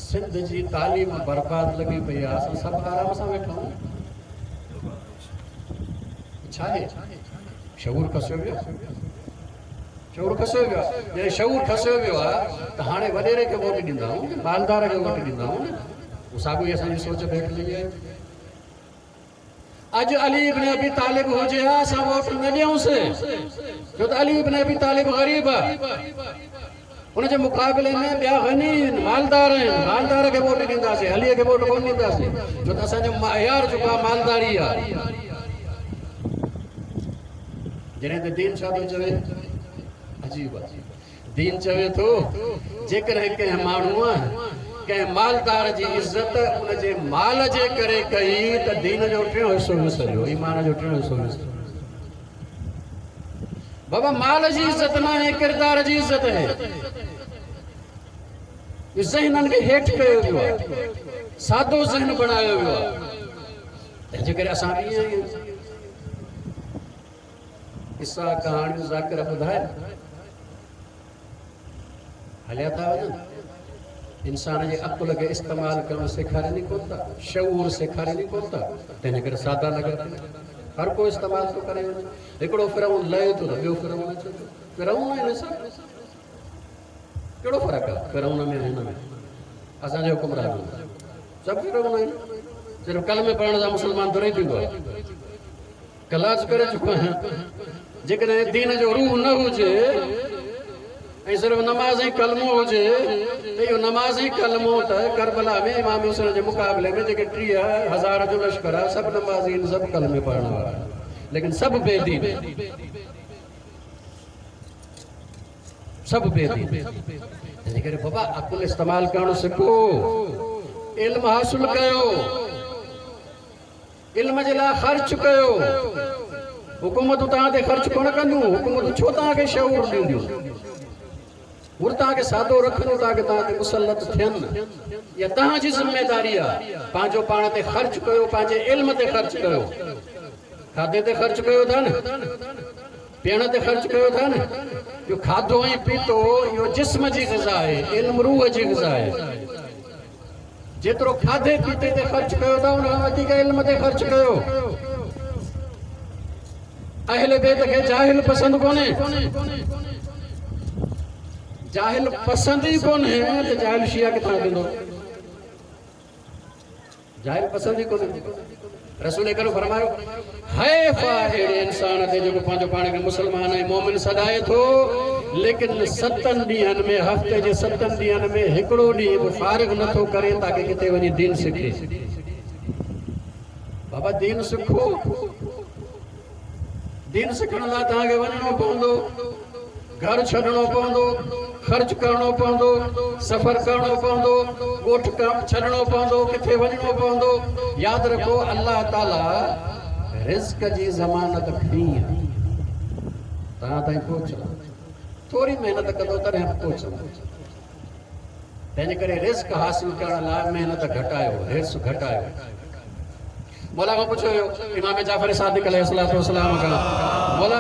सिंध जी तालीम बर्बाद लॻी पई आहे, असां सभु आराम सां वेठा आहियूं। छा आहे? शऊर खसियो वियो, शऊर खसियो वियो आहे। जॾहिं शऊर खसियो वियो आहे त हाणे वॾेरे खे वोट ॾींदा आहियूं, मालदार खे वोट ॾींदा आहियूं न, उहो साॻियो ई असांजी सोच भेट लॻी आहे। अॼु अली इब्न अबी तालिब हुजे हा, असां वोट न ॾियूंसि, छो त अली इब्न अबी तालिब ग़रीब आहे, हुनजे मुक़ाबले में ॿिया ग़नी आहिनि, मालदार आहिनि, मालदार खे वोट ॾींदासीं, अलीअ खे वोट कोन ॾींदासीं, छो त असांजो मायार जेको आहे मालदारी आहे। जॾहिं त दीन छा थो चवे, अजीब आहे, दीन चवे थो जेकॾहिं कंहिं माण्हूअ कंहिं मालदार जी इज़त उनजे माल जे करे कई त दीन जो टियों हिसो विसरियो, ईमान जो टियों हिसो विसरियो। बाबा माल जी इज़त न आहे, किरदार जी इज़त आहे। ज़हननि खे हेठि कयो वियो आहे, सादो ज़हन बणायो वियो आहे, तंहिंजे करे असां बि ईअं आहियूं। क़िसा कहाणियूं ज़ाकिर ॿुधाए हलिया था वञनि। इंसान जे अक़ुल खे इस्तेमालु करणु सेखारनि ई कोन था, शऊर सेखारनि ई कोन था, तंहिंजे करे सादा लॻा पिया, हर को इस्तेमालु थो करे वञे। हिकिड़ो फिरऊन लहे थो त ॿियो फिरऊन अचे थो, फिरऊन आहिनि सभु, कहिड़ो फ़र्क़ु आहे फिरऊन में हिन में? असांजे हुकुमरान सभु फिरऊन आहिनि, सिर्फ़ु कलमे पढ़ण सां मुस्लमान थोरो ई थींदो आहे, कलास करे चुको आहियां। जेकॾहिं दीन जो रूह न हुजे ऐं सिर्फ़ु नमाज़ ऐं कलमो हुजे त इहो नमाज़ ऐं कलमो त करबला में इमाम हुसैन जे मुक़ाबले में जेके टीह हज़ार जो लश्कर आहे, सभु नमाज़ी आहिनि, सभु कलमे पढ़ण वारा आहिनि, लेकिन सभु बेदीन, सभु बेदीन। तंहिंजे करे बाबा अक़ुल इस्तेमालु करणु सिखो, इल्म हासिलु कयो, इल्म जे लाइ ख़र्च कयो। हुकूमतूं तव्हां ते ख़र्च कोन कंदियूं, हुकूमतूं छो तव्हांखे शऊर ॾींदियूं? उहो तव्हांखे सादो रखंदियूं ताकी तव्हां ते मुसलत थियनि। इहा तव्हांजी ज़िम्मेदारी आहे, पंहिंजो पाण ते ख़र्च कयो, पंहिंजे इल्म ते ख़र्च कयो, खाधे ते ख़र्च कयो था न, पीअण ते ख़र्च कयो था न। इहो खाधो ऐं पीतो इहो जिस्म जी ग़िज़ा आहे, इल्म रूह जी ग़िज़ा आहे। जेतिरो खाधे पीते ते ख़र्च कयो था, उन खां वधीक इल्म ते ख़र्च कयो। अहले बैत खे जाहिल पसंदि कोन्हे, जाहिल पसंदि ई कोन्हे त जाहिल शिया किथां थींदो? जाहिल पसंदि ई कोन्हे। रसूल करीम फरमायो, हैफ़ आहे अहिड़े इंसान ते जेको पंहिंजो पाण खे मुसलमान ऐं मोमिन सॾाए थो, लेकिन सतनि ॾींहंनि में, हफ़्ते जे सतनि ॾींहंनि में हिकिड़ो ॾींहुं बि फ़ारिग नथो करे ताकी किथे वञी दीन सिखे। बाबा दीन सिखो, दीन सिखण लाइ तव्हांखे वञिणो पवंदो, घर छॾिणो पवंदो, ख़र्च करणो पवंदो, सफ़र करणो पवंदो, ॻोठ छॾिणो पवंदो, किथे वञिणो पवंदो। यादि रखो, अलाह ताला रिज़्क जी ज़मानत खणी आहे, तव्हां ताईं पहुचंदो, थोरी महिनत कंदो तॾहिं पहुचंदो। तंहिंजे करे रिज़्क हासिल करण लाइ महिनत घटायो, हिर्स घटायो। मौला खां पुछियो वियो इमाम जाफ़र सादिक अलैहिस्सलातु वस्सलाम खां, मौला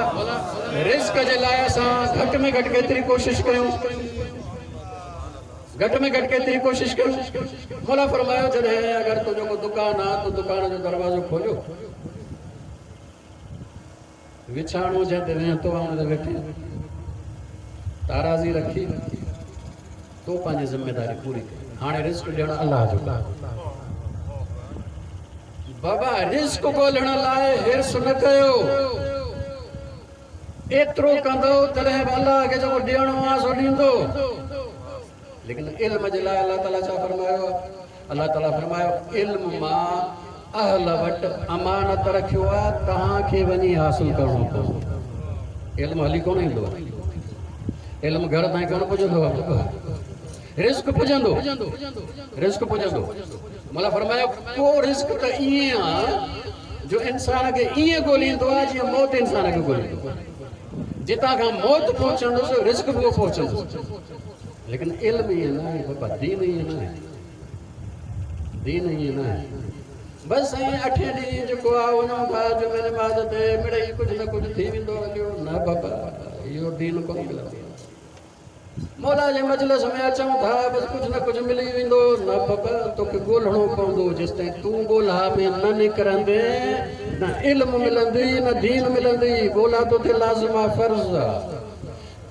रिज़्क जे लाइ असां घटि में घटि केतिरी कोशिशि कयूं, घटि में घटि केतिरी कोशिशि कयूं? मौला फरमायो, जॾहिं अगरि तुंहिंजो को दुकान आहे, त दुकान जो दरवाज़ो खोलियो, विछाणो जंहिं ते वेहतो आहे हुन ते वेठी, ताराज़ी रखी, तो पंहिंजी ज़िम्मेदारी पूरी कई। हाणे रिज़्क ॾियणु अलाह जो कमु। बाबा रिज़्क ॻोल्हण लाइ हिर्स न कयो, एतिरो कंदो तॾहिं बि अलाह खे जेको ॾियणो आहे सो ॾींदो। लेकिन इल्म जे लाइ अलाह ताला छा फरमायो? अलाह ताला फरमायो, इल्म मां अहल वटि अमानत रखियो आहे, तव्हांखे वञी हासिल करणो पवंदो। इल्म हली कोन ईंदो आहे, इल्म घर ताईं कोन पुॼंदो आहे, रिज़्क पुॼंदो, रिज़्क पुॼंदो। मौला फरमायो, को रिज़्क त ईअं आहे जो इंसान खे ईअं ॻोल्हींदो आहे जीअं मौत इंसान खे ॻोल्हींदो आहे। जितां खां मौत पहुचंदुसि, रिज़्क बि उहो पहुचंदुसि। लेकिन इल्म ईअं न आहे बाबा, दीन ईअं न आहे, दीन ईअं न आहे। बसि साईं अठे ॾींहुं जेको आहे वञूं था जुमे नमाज़ ते, मिड़ई कुझु न कुझु थी वेंदो हलियो। न बाबा, इहो दीन कोन मिलंदो। मौला जे मजलिस में अचूं था, बसि कुझु न कुझु मिली वेंदो। न बाबा, तोखे ॻोल्हिणो पवंदो। जेसि ताईं तूं ॻोल्हा में न निकिरंदे, न इल्म मिलंदी न दीन मिलंदी। ॻोल्हा तोते लाज़िम आहे, फ़र्ज़ आहे।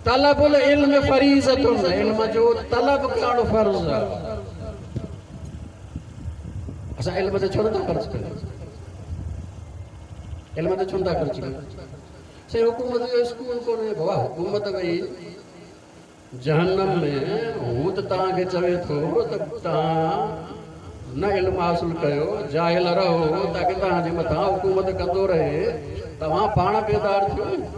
तलबुल इल्म फरीज़तुन, इल्म जो तलब करणु फ़र्ज़ आहे। असां इल्म ते छो नथा ख़र्च कयूं? علم تي ڇو نٿا خرچ ڪيو؟ سائين حڪومت جو اسڪول ڪونهي. بابا حڪومت وئي جهنم ۾، هو ته توهان کي چوي ٿو ته توهان نه علم حاصل ڪيو، جاهل رهو، تاڪه توهان جي مٿان حڪومت ڪندو رهي. توهان پاڻ بيدار ٿيو نه.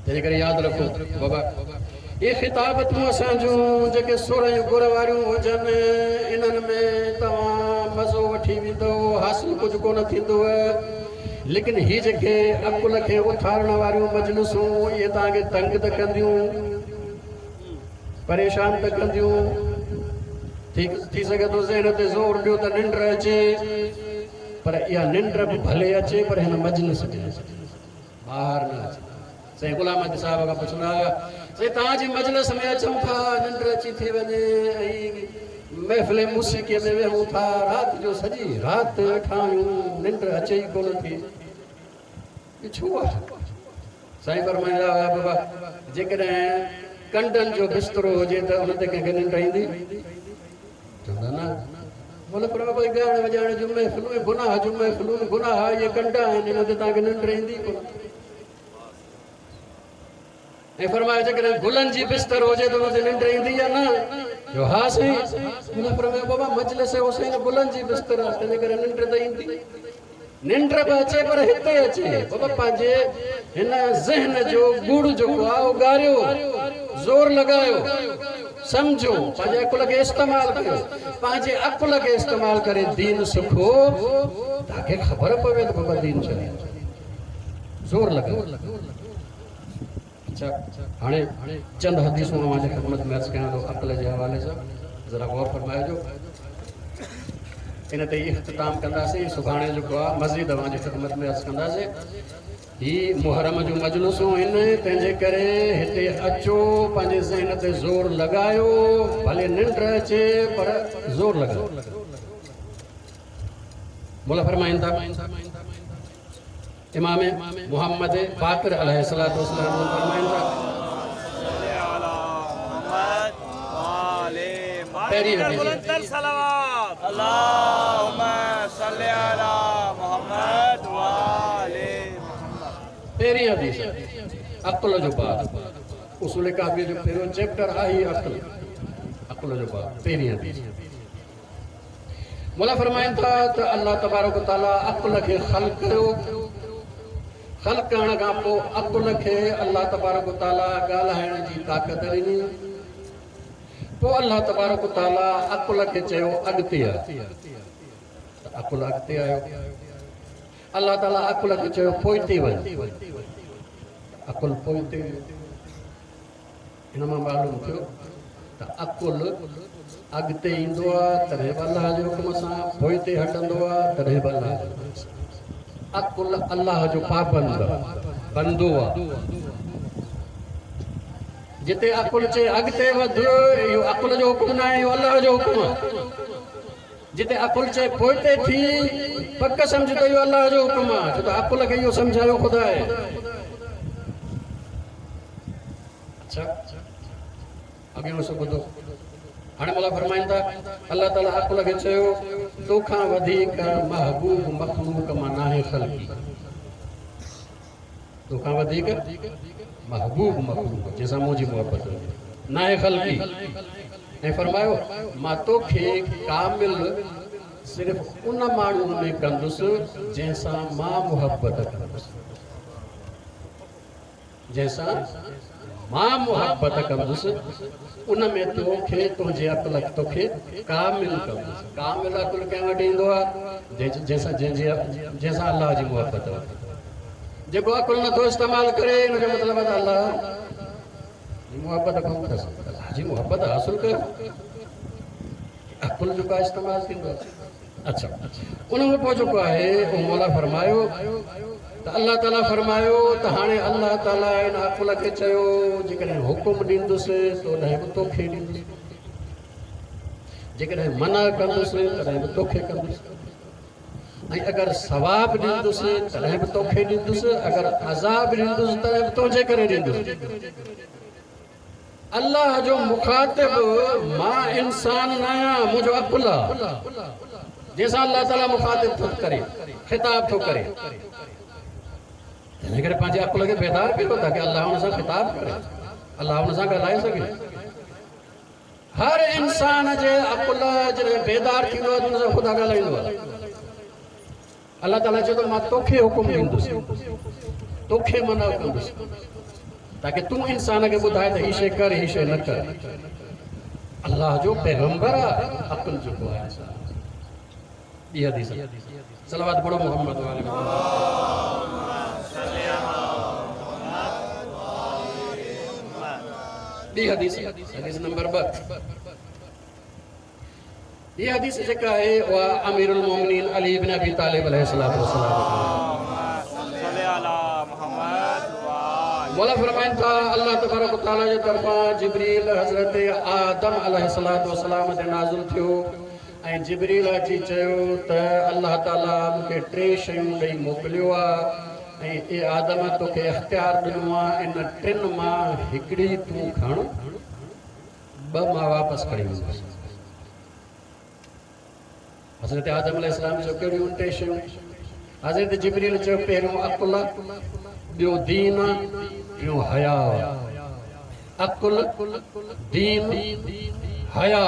تنهن ڪري ياد رکو بابا، اهي خطابتون اسان جون جيڪي سر ۽ گر واريون هجن، انهن ۾ توهان مزو وٺي ويندؤ، حاصل ڪجهه ڪونه ٿيندو. ليڪن هي جيڪي عقل کي اٿارڻ واريون مجلسون، اهي توهان کي تنگ ته ڪنديون، پريشان ته ڪنديون، ٿي ٿي سگهي ٿو ذهن تي زور ڏيو ته ننڊ اچي، پر اها ننڊ به ڀلي اچي پر هن مجلس ۾ اچي، ٻاهر نه اچي. سائين غلام احمد صاحب کان پڇندا هئا، سائين توهان جي مجلس ۾ اچون ٿا ننڊ اچي ٿي وڃي، ۽ محفل موسيقيءَ ۾ ويهون ٿا، رات جو سڄي رات ويٺا آهيون، ننڊ اچي ئي ڪونه ٿي، اهو ڇو آهي؟ سائين فرمائيندا هئا، بابا جيڪڏهن ڪنڊن جو بسترو هجي ته ان تي ڪنهن کي ننڊ ايندي؟ چوندا نه. بولا پر بابا ڳائڻ وڄائڻ جون محفلون، گناهه جون محفلون، گناهه اهي ڪنڊا آهن، ان تي توهان کي ننڊ ايندي ڪونه. ۽ فرمايو جيڪڏهن گلن جي بستر هجي ته ان تي ننڊ ايندي يا نه؟ جو ها سائين. مولا فرمايو بابا مجلس حسين گلن جي بستر آهي، تنهن ڪري ننڊ ته ايندي. ننڊ به اچي پر هتي اچي. بابا پنهنجي هن ذهن جو ڳڙ جيڪو آهي اهو ڳاريو، زور لڳايو، سمجهو، پنهنجي عقل کي استعمال ڪيو، پنهنجي عقل کي استعمال ڪري دين سکو، تاڪه خبر پوي ته بابا دين ڇا آهي. زور لڳايو. اڇا هاڻي چند حديثون اوهان جي خدمت ۾ عرض ڪيان ٿو عقل جي حوالي سان، ذرا غور فرمائجو. ان تي ئي اختتام ڪنداسين. سڀاڻي جيڪو آهي مزيد اوهان جي خدمت ۾ عرض ڪنداسين. هي محرم جون مجلسون آهن، تنهن جي ڪري هتي اچو، پنهنجي ذهن تي زور لڳايو، ڀلي ننڊ اچي پر زور لڳايو. مولا فرمائن ٿا، امام محمد باقر عليه الصلوة والسلام فرمائن ٿا، پهرين حديث، بلندتر صلوات، اللهم صل على محمد وآل محمد. پهرين حديث عقل جو باب، اصول ڪافي جو پهريون چيپٽر آهي عقل، عقل جو باب، پهرين حديث. مولا فرمائن ٿا ته الله تبارڪ تعاليٰ عقل کي خلق ڪيو، خلق ڪرڻ کان پوءِ عقل کي الله تبارڪ تعاليٰ ڳالهائڻ جي طاقت ڏني. پوءِ الله تبارڪ تعاليٰ عقل کي چيو اڳتي آ، ته عقل اڳتي آيو. الله تعاليٰ عقل کي چيو پوئتي وڃ، عقل پوئتي ويو. هن مان معلوم ٿيو ته عقل اڳتي ايندو آهي تڏهن به الله جي حڪم سان، پوئتي هٽندو آهي تڏهن به الله جي حڪم سان. عقل الله جو پابند آهي، بندو آهي. جتي عقل چئي اڳتي وڌ، اهو عقل جو حڪم نه آهي، اهو الله جو حڪم آهي. جتي عقل چئي پوئتي ٿي، پڪ سمجهه ته اهو الله جو حڪم آهي، ڇو ته عقل کي اهو سمجهايو خدا آهي. اڇا اڳيون حصو ٻڌو. هاڻي مولا فرمائن ٿا، الله تعاليٰ عقل کي چيو توکان وڌيڪ محبوب مخلوق مان ناهي خلقي، توکان وڌيڪ محبوب مخلوق جنهن سان منهنجي محبت هجي ناهي خلقي. ۽ فرمايو مان توکي ڪامل صرف ان ماڻهوءَ ۾ ڪندس جنهن سان مان محبت ڪندس، جنهن سان مان محبت ڪندس ان ۾ توکي تنهنجي عقل توکي ڪامل ڪندس. ڪامل عقل ڪنهن وٽ ايندو آهي؟ جنهن سان جنهن جي جنهن سان الله جي محبت هجي. جيڪو عقل نٿو استعمال ڪري، ان جو مطلب آهي ته الله جي محبت ڪونه اٿس. الله جي محبت حاصل ڪيو، عقل جو ڪا استعمال ٿيندو آهي. اڇا ان کان پوءِ جيڪو آهي اهو مولا فرمايو ته الله تعاليٰ فرمايو ته هاڻي الله تعاليٰ هن عقل کي چيو جيڪڏهن حڪم ڏيندس تڏهن به توکي ڏيندس، جيڪڏهن منع ڪندس تڏهن به توکي ڪندس، ۽ اگر ثواب ڏيندس تڏهن به توکي ڏيندس، اگر عذاب ڏيندس تڏهن به تنهنجي ڪري ڏيندس. الله جو مخاطب مان انسان نه آهيان، منهنجو عقل آهي. जंहिंसां अलाह ताला मुखातिब थो करे, ख़िताब थो करे। तंहिंजे करे पंहिंजे अक़ुल खे बेदार कयो ताकी अलाह हुन सां ख़िताब करे, अलाह हुन सां ॻाल्हाए सघे। हर इंसान जे अक़ुल जॾहिं बेदार थींदो आहे त हुन सां ख़ुदा ॻाल्हाईंदो आहे। अलाह ताला चए थो मां तोखे हुकुम ॾींदुसि, तोखे मना कंदुसि, ताकी तूं इंसान खे ॿुधाए त हीअ शइ कर, हीअ शइ न कर। अलाह जो पैगंबर आहे अक़ुल जेको आहे इंसान। ॿी हदीस, सलावत पढ़ो मोहम्मद वाले। ॿी हदीस, हदीस नंबर ॿ। हीअ हदीस जेका आहे उहा अमीरुल मोमिनीन अली इब्न अबी तालिब अलैहिस्सलाम। मौला फरमाइनि था अलाह तबारक व तआला जे तरफ़ां जिब्रील हज़रत आदम अलैहिस्सलाम ते नाज़िल थियो ऐं जिब्रील अची चयो त अलाह ताला मूंखे टे शयूं ॾेई मोकिलियो आहे ऐं ए आदम तोखे इख़्तियार ॾिनो आहे, इन टिनि मां हिकिड़ी तूं खण, ॿ मां वापसि खणी वेंदुसि। हज़रत आदम अलैहिस्सलाम चयो कहिड़ियूं टे शयूं? हज़रत जिब्रील चयो पहिरियों अक़ुल, ॿियो दीन, टियों हया। अक़ुल, दीन, हया,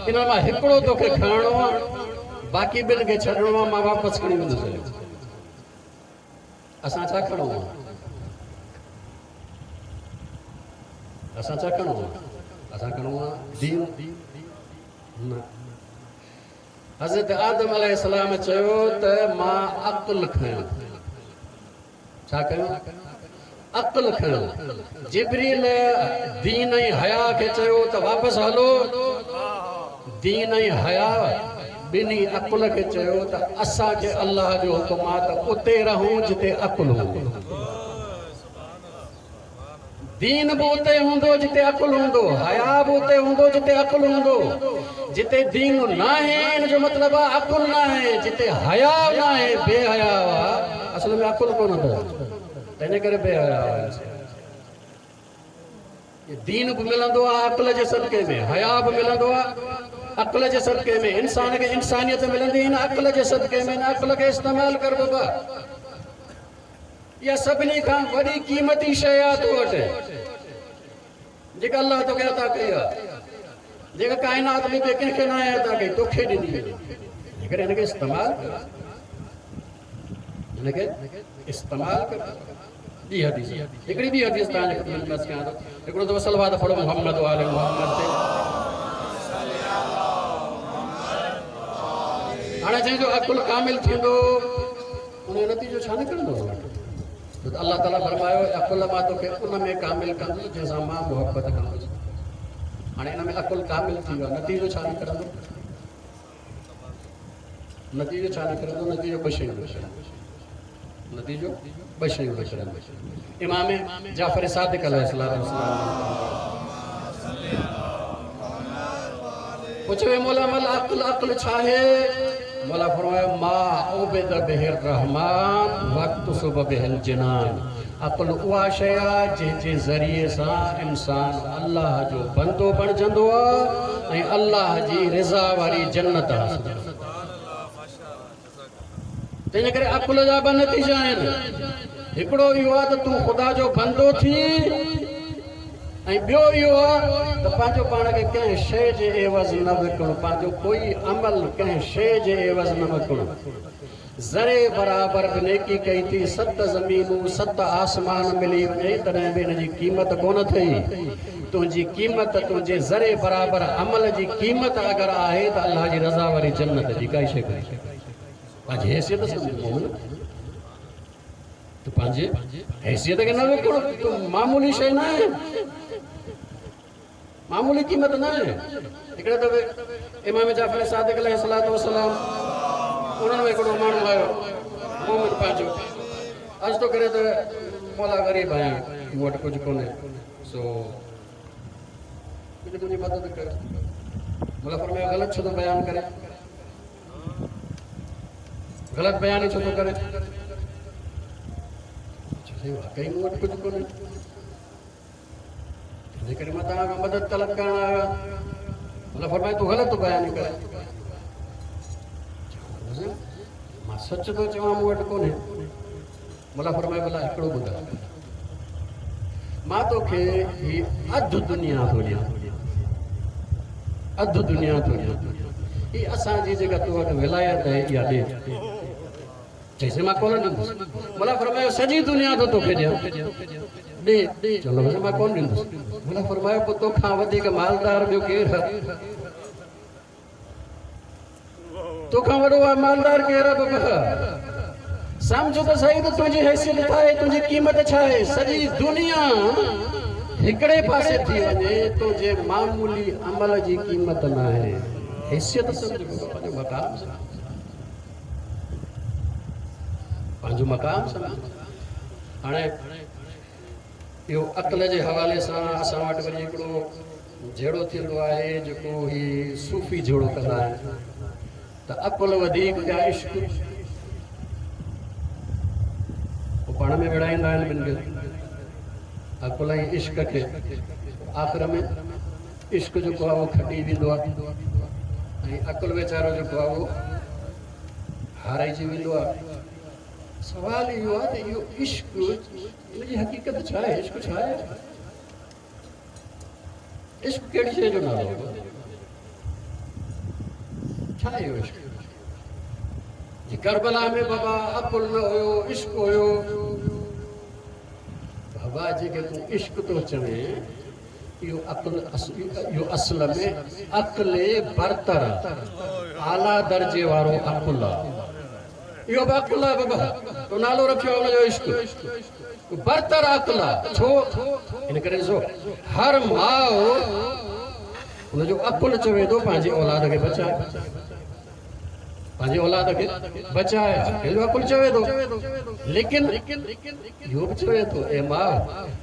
इन मां हिकिड़ो तोखे खणणो आहे, बाक़ी ॿिनि खे छॾिणो आहे, मां वापसि खणी वेंदुसि। असां छा खणो आहे? असां छा खणो आहे? असां खणो आहे दीन। न, हज़रत आदम अलैहिस्सलाम चयो त मां अक़ुल खयो। छा कयो? अक़ुल खयो। जिब्रील दीन ऐं हया खे चयो त वापसि हलो। दीन ऐं हया ॿिन्ही अक़ुल खे चयो त असांखे अलाह जो हुकुम आहे त उते रहूं जिते अक़ुल हूंदो। दीन बि उते हूंदो जिते अक़ुल हूंदो, हया बि उते हूंदो जिते अक़ुल हूंदो। जिते दीन न आहे इन जो मतिलबु आहे अक़ुल न आहे, जिते हया न आहे बेहया आहे, असल में अक़ुल कोन अथव, तंहिंजे करे बेहया आहे। दीन बि मिलंदो आहे अक़ुल जे सदके में, हया बि मिलंदो आहे अक़ुल जे सदके में। इंसान खे इंसानियत मिलंदी इन अक़ुल जे सदके में, इन अक़ुल खे इस्तेमालु कर बाबा। इहा सभिनी खां वॾी क़ीमती शइ आहे तो वटि, जेका अलाह तोखे अता कई आहे, जेका काइनात में ॿिए कंहिंखे न आहे अता कई, तोखे ॾिनी आहे। करे हिनखे इस्तेमालु कर, हिनखे इस्तेमालु कर। ॿी हदीस, हिकिड़ी ॿी हदीस तव्हांजे ख़िदमत में कयां थो। हिकिड़ो दफ़ो सलवात पढ़ो मोहम्मद वाले मोहम्मद ते। हाणे जंहिंजो अक़ुल कामिल थींदो उनजो नतीजो छा निकिरंदो? अलाह ताला फरमायो अक़ुल मां तोखे उन में कामिल कंदुसि जंहिंसां मां मुहबत कंदुसि। हाणे इन में अक़ुल कामिल थी वियो, नतीजो छा निकिरंदो? नतीजो छा निकिरंदो? नतीजो ॿ शयूं निकिरंदो, नतीजो ॿ शयूं निकिरंदो। इमाम जाफ़र सादिक अलैहिस्सलाम पुछियो मौला मल अक़ुल, अक़ुल छा आहे? मौला फरमायो मा उबिद बिहिर रहमान वक़्त सुब बिहिल जिनान। अक़ुल उहा शइ आहे जंहिंजे ज़रिए सां इंसान अलाह जो बंदो बणिजंदो आहे ऐं अलाह जी रज़ा वारी जन्नत हासिल कंदो। तंहिंजे करे अक़ुल जा ॿ नतीजा आहिनि। हिकिड़ो इहो आहे त तूं ख़ुदा जो बंदो थी, ऐं ॿियो इहो आहे त पंहिंजो पाण खे कंहिं शइ जे एवज़ न विकिणो, पंहिंजो कोई अमल कंहिं शइ जे एवज़ न विकिणो। ज़रे बराबरि बि नेकी कई थी, सत ज़मीनूं सत आसमान मिली वञे तॾहिं बि हिन जी क़ीमत कोन अथई। तुंहिंजी क़ीमत तुंहिंजे ज़रे बराबरि अमल जी क़ीमत अगरि आहे त अलाह जी रज़ा वारी जन्नत जी काई शइ कोन्हे। पंहिंजी हैसियत सम्झ मोमिन, तूं पंहिंजी हैसियत खे न विकिणो। तूं मामूली शइ न आहे, मामूली क़ीमत न आहे। हिकिड़े दफ़े इमाम जाफ़र सादिक अलैहिस्सलाम उन्हनि में हिकिड़ो माण्हू आयो मोमिन पंहिंजो, अर्ज़ु थो करे त मौला ग़रीब आहियां, मूं वटि कुझु कोन्हे, सो कुझु मुंहिंजी मदद कर। मौला फरमायो ग़लति छो थो बयानु करे, ग़लति बयानु छो थो करे? वाकई मूं वटि कुझु कोन्हे, तंहिंजे करे मां तव्हां खां मदद तलब करण आयो आहियां। मौला फरमायो तूं ग़लति थो बयानु करे। مان سچ ٿو چوان مون وٽ ڪونهي. مولا فرمايو ڀلا هڪڙو ٻڌاء، مان توکي هي اڌ دنيا ٿو ڏيان، اڌ دنيا ٿو ڏيان، هي اسان جي جيڪا تو وٽ ولايت آهي اها ڏي. چئيس مان ڪونه ڏيندس. مولا فرمايو سڄي دنيا ٿو توکي ڏيان، ڏي. چوڻ لڳو مان ڪونه ڏيندس. مولا فرمايو پوءِ توکان وڌيڪ مالدار ٻيو ڪير آهي؟ توکان وڏو مالدار ڪير آهي بابا؟ سمجهو ته صحيح ته تنهنجي حيثيت ڇا آهي، تنهنجي قيمت ڇا آهي. سڄي دنيا هڪڙي پاسي ٿي وڃي، تنهنجي معمولي عمل جي قيمت نه آهي. حيثيت سمجهه بابا، پنهنجو مقام سمجهه، پنهنجو مقام سمجهه. هاڻي اهو عقل جي حوالي سان اسان وٽ وري هڪڙو جهيڙو ٿيندو آهي، جيڪو هي صوفي جهيڙو ڪندا آهن ته عقل وڌيڪ يا عشق، پوءِ پاڻ ۾ وڙهائيندا آهن ٻن کي، عقل ۽ عشق کي. آخر ۾ عشق جيڪو آهي اهو کٽي ويندو آهي ۽ عقل ويچارو جيڪو آهي اهو هارائجي ويندو آهي. سوال اهو آهي ته اهو عشق، ان جي حقيقت ڇا آهي؟ عشق ڇا آهي؟ عشق ڪهڙي شيءِ جو نالو آهي؟ ڇا آهي اهو عشق؟ جي ڪربلا ۾ بابا عقل نه هيو، عشق هيو. بابا جيڪي تون عشق ٿو چوين، اهو عقل، اهو اصل ۾ عقل برتر آهي، اعليٰ درجي وارو عقل آهي. اهو به عقل آهي بابا، تو نالو رکيو آهي ان جو عشق، برتر عقل آهي. ڇو؟ ان ڪري ڏسو هر ماءُ ان جو عقل چوي ٿو پنهنجي اولاد کي بچائي، پنهنجي اولاد کي بچائي، هن جو عقل چوي ٿو. ليڪن اهو به چوي ٿو اي ماءُ،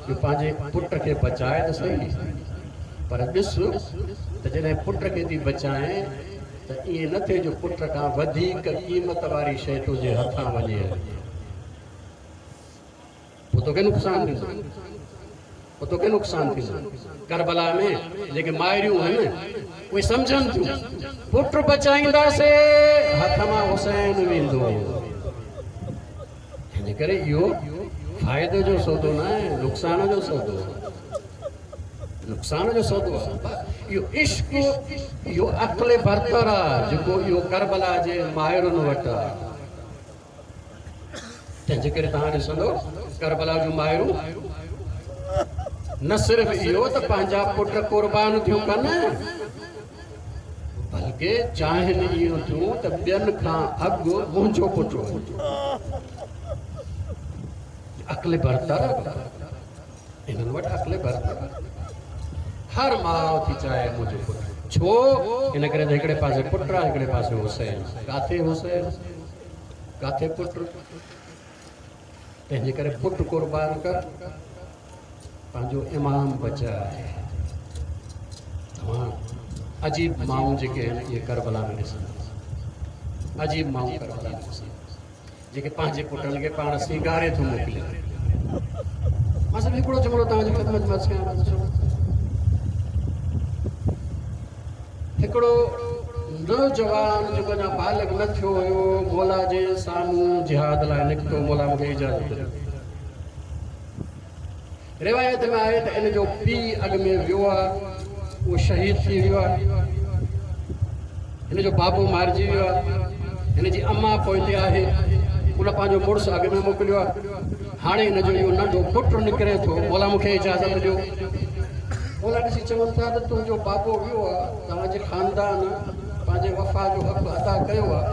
جو پنهنجي پٽ کي بچائي ته صحيح، پر ڏس ته جڏهن پٽ کي ٿي بچائين ته ائين نه ٿئي جو پٽ کان وڌيڪ قيمت واري شيءِ تنهنجي هٿان وڃي، پوءِ توکي نقصان ٿيندو، پوءِ توکي نقصان ٿيندو. ڪربلا ۾ جيڪي مائريون آهن اهي سمجهن ٿيون پٽ بچائينداسين هٿ مان حسين ويندو. هن ڪري اهو فائدي جو سودو نه آهي، نقصان جو سودو آهي، نقصان جو سودو آهي. اهو عشق، اهو عقل برتر آهي جيڪو اهو ڪربلا جي مائرن وٽ آهي. تنهن جي ڪري توهان ڏسندو ڪربلا جون مائرون نه صرف اهو ته پنهنجا پٽ قربان ٿيون ڪن، بلڪه چاهين اهو ٿيون ته ٻين کان اڳ منهنجو پٽ وڃي. عقل برتر هنن وٽ، عقل برتر. هر ماءُ ٿي چاهي منهنجو پٽ. ڇو؟ هن ڪري ته هڪڙي پاسي پٽ آهي، هڪڙي پاسي حسين. ڪاٿي حسين، ڪاٿي پٽ. تنهن جي ڪري پٽ قربان ڪر، پنهنجو امام بچائي. توهان عجيب مائون جيڪي آهن اهي ڪربلا ۾ ڏسندا، عجيب مائون ڪربلا ۾ ڏسندا جيڪي پنهنجي پٽن کي پاڻ سينگاري ٿو موڪلي. مان صرف هڪڙو جملو توهان جي خدمت ۾ عرض ڪيان ٿو. هڪڙو نوجوان جيڪو اڃا بالغ نه ٿيو هيو، مولا جي سامهون جهاد لاءِ نڪتو، مولا مون کي اجازت ڏيو. روايت ۾ آهي ته ان جو پيءُ اڳ ۾ ويو آهي، اهو شهيد ٿي ويو آهي، هن جو بابو مارجي ويو آهي، هن جي اما پوئتي آهي، ان پنهنجو مڙس اڳ ۾ موڪليو آهي. هاڻي هن جو اهو ننڍو پٽ نڪري ٿو، مولا مون کي اجازت ڏيو. مولا ڏسي چون ٿا ته تنهنجو بابو ويو آهي، توهان جي خاندان پنهنجي وفا جو حق ادا ڪيو آهي،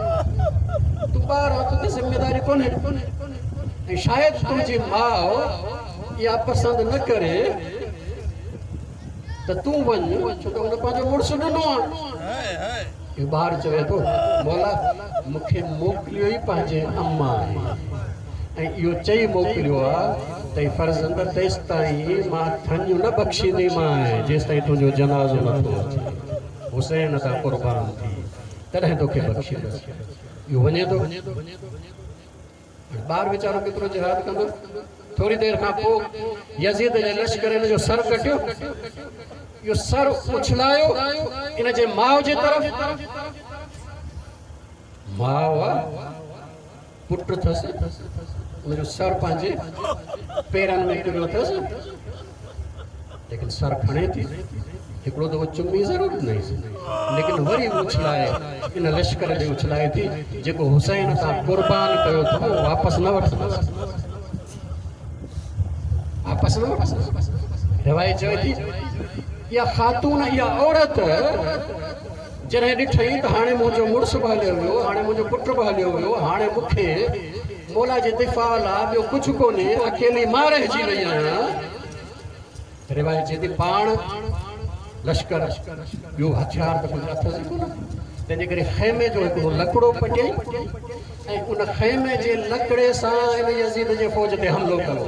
تون ٻار آهين، توتي ذميداري ڪونهي، ۽ شايد تنهنجي ماءُ اها پسند نه ڪري ته تون وڃ، ڇو ته هن پنهنجو مڙس ڏنو آهي. اهو ٻار چوي ٿو مولا مون کي موڪليو ئي پنهنجي اما آهي، ۽ اهو چئي موڪليو آهي ته فرزند تيس تائين مان ٿڃ نه بخشينديمانءِ جيس تائين تنهنجو جنازو نٿو اچي، حسين تان قربان ٿي تڏهن توکي بخشيندس. اهو وڃي ٿو، ٻار ويچارو ڪيترو جهاد ڪندو. ٿوري دير کان پوءِ يزيد جي لشڪر هن جو سر ڪٽيو، اهو سر اڇلايو ان جي ماءُ جي طرف. ماءُ آهي पुट अथसि, उनजो सर पंहिंजे पेरनि में किरियो अथसि, लेकिन सर खणे थी। हिकिड़ो दफ़ो चुम्मी ज़रूरु ॾिनईंसि, लेकिन वरी उछलाए इन लश्कर ॾे उछलाए थी, जेको हुसैन तां कुर्बान कयो अथव वापसि न वठंदसि, वापसि न वठंदसि। रिवायत चवे थी इहा ख़ातून, इहा औरत जॾहिं ॾिठई त हाणे मुंहिंजो मुड़ुसु बि हलियो वियो, हाणे मुंहिंजो पुटु बि हलियो वियो, हाणे मूंखे मौला जे दिफ़ा लाइ ॿियो कुझु कोन्हे, अकेली मां रहिजी वई आहियां। रिवायत चए थी पाण लश्कर ॿियो हथियार त कुझु अथसि कोन, तंहिंजे करे ख़ैमे जो हिकिड़ो लकिड़ो पटियईं ऐं उन ख़ैमे जे लकिड़े सां इन यज़ीद जे फ़ौज ते हमिलो कयो।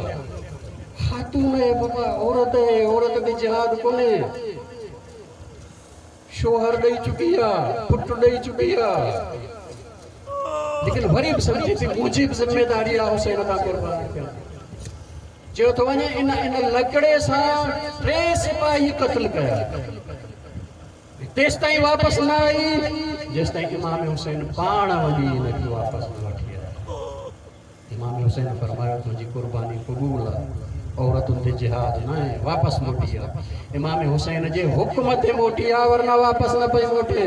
ख़ातून आहे बाबा, औरत आहे, औरत ते जिहाद कोन्हे, शोहर ॾेई चुकी आहे, पुटु ॾेई चुकी आहे, लेकिन वरी बि सम्झे थी मुंहिंजी बि ज़िम्मेदारी आहे हुसैन तां कुर्बान थियण। चयो थो वञे इन इन लकिड़े सां टे सिपाही क़त्ल कया, तेसि ताईं वापसि न आई जेसि ताईं इमाम हुसैन पाण वञी हिनखे वापसि न वठी आया। इमाम हुसैन फरमायो तुंहिंजी कुर्बानी क़बूल आहे, औरतुनि ते जिहाद न आहे, वापसि मोटी आ। इमाम हुसैन जे हुक्म ते मोटी आ, वरना वापसि न पई मोटे।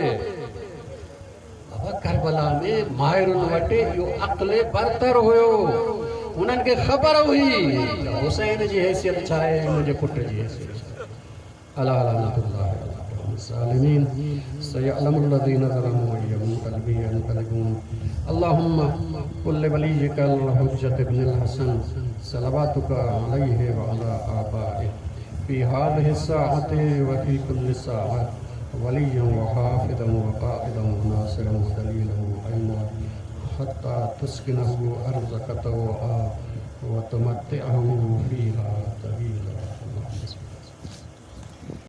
बाबा करबला में माहिरुनि वटि इहो अक़ल बरतर हुयो, हुननि खे ख़बर हुई हुसैन जी हैसियत छा आहे, मुंहिंजे पुट जी हैसियत छा। अला लअनतुल्लाहि अला सयअलमु लज़ीना ज़लमू अय्य मुनक़लिबिन यनक़लिबून। अल्लाहुम्मा कुल वलिय्यिकल हुज्जत इब्नुल हसन सलवातुका अलैहि व अला आबाइहि फ़ी हाज़िहि साअति व फ़ी कुल्लि साअ वलिय्यन व हाफ़िज़न व क़ाइदन व नासिरन व दलीलन व ऐना हत्ता तुस्किनहु अर्ज़क तौआ व तुमत्तिअहु फ़ीहा तवीला।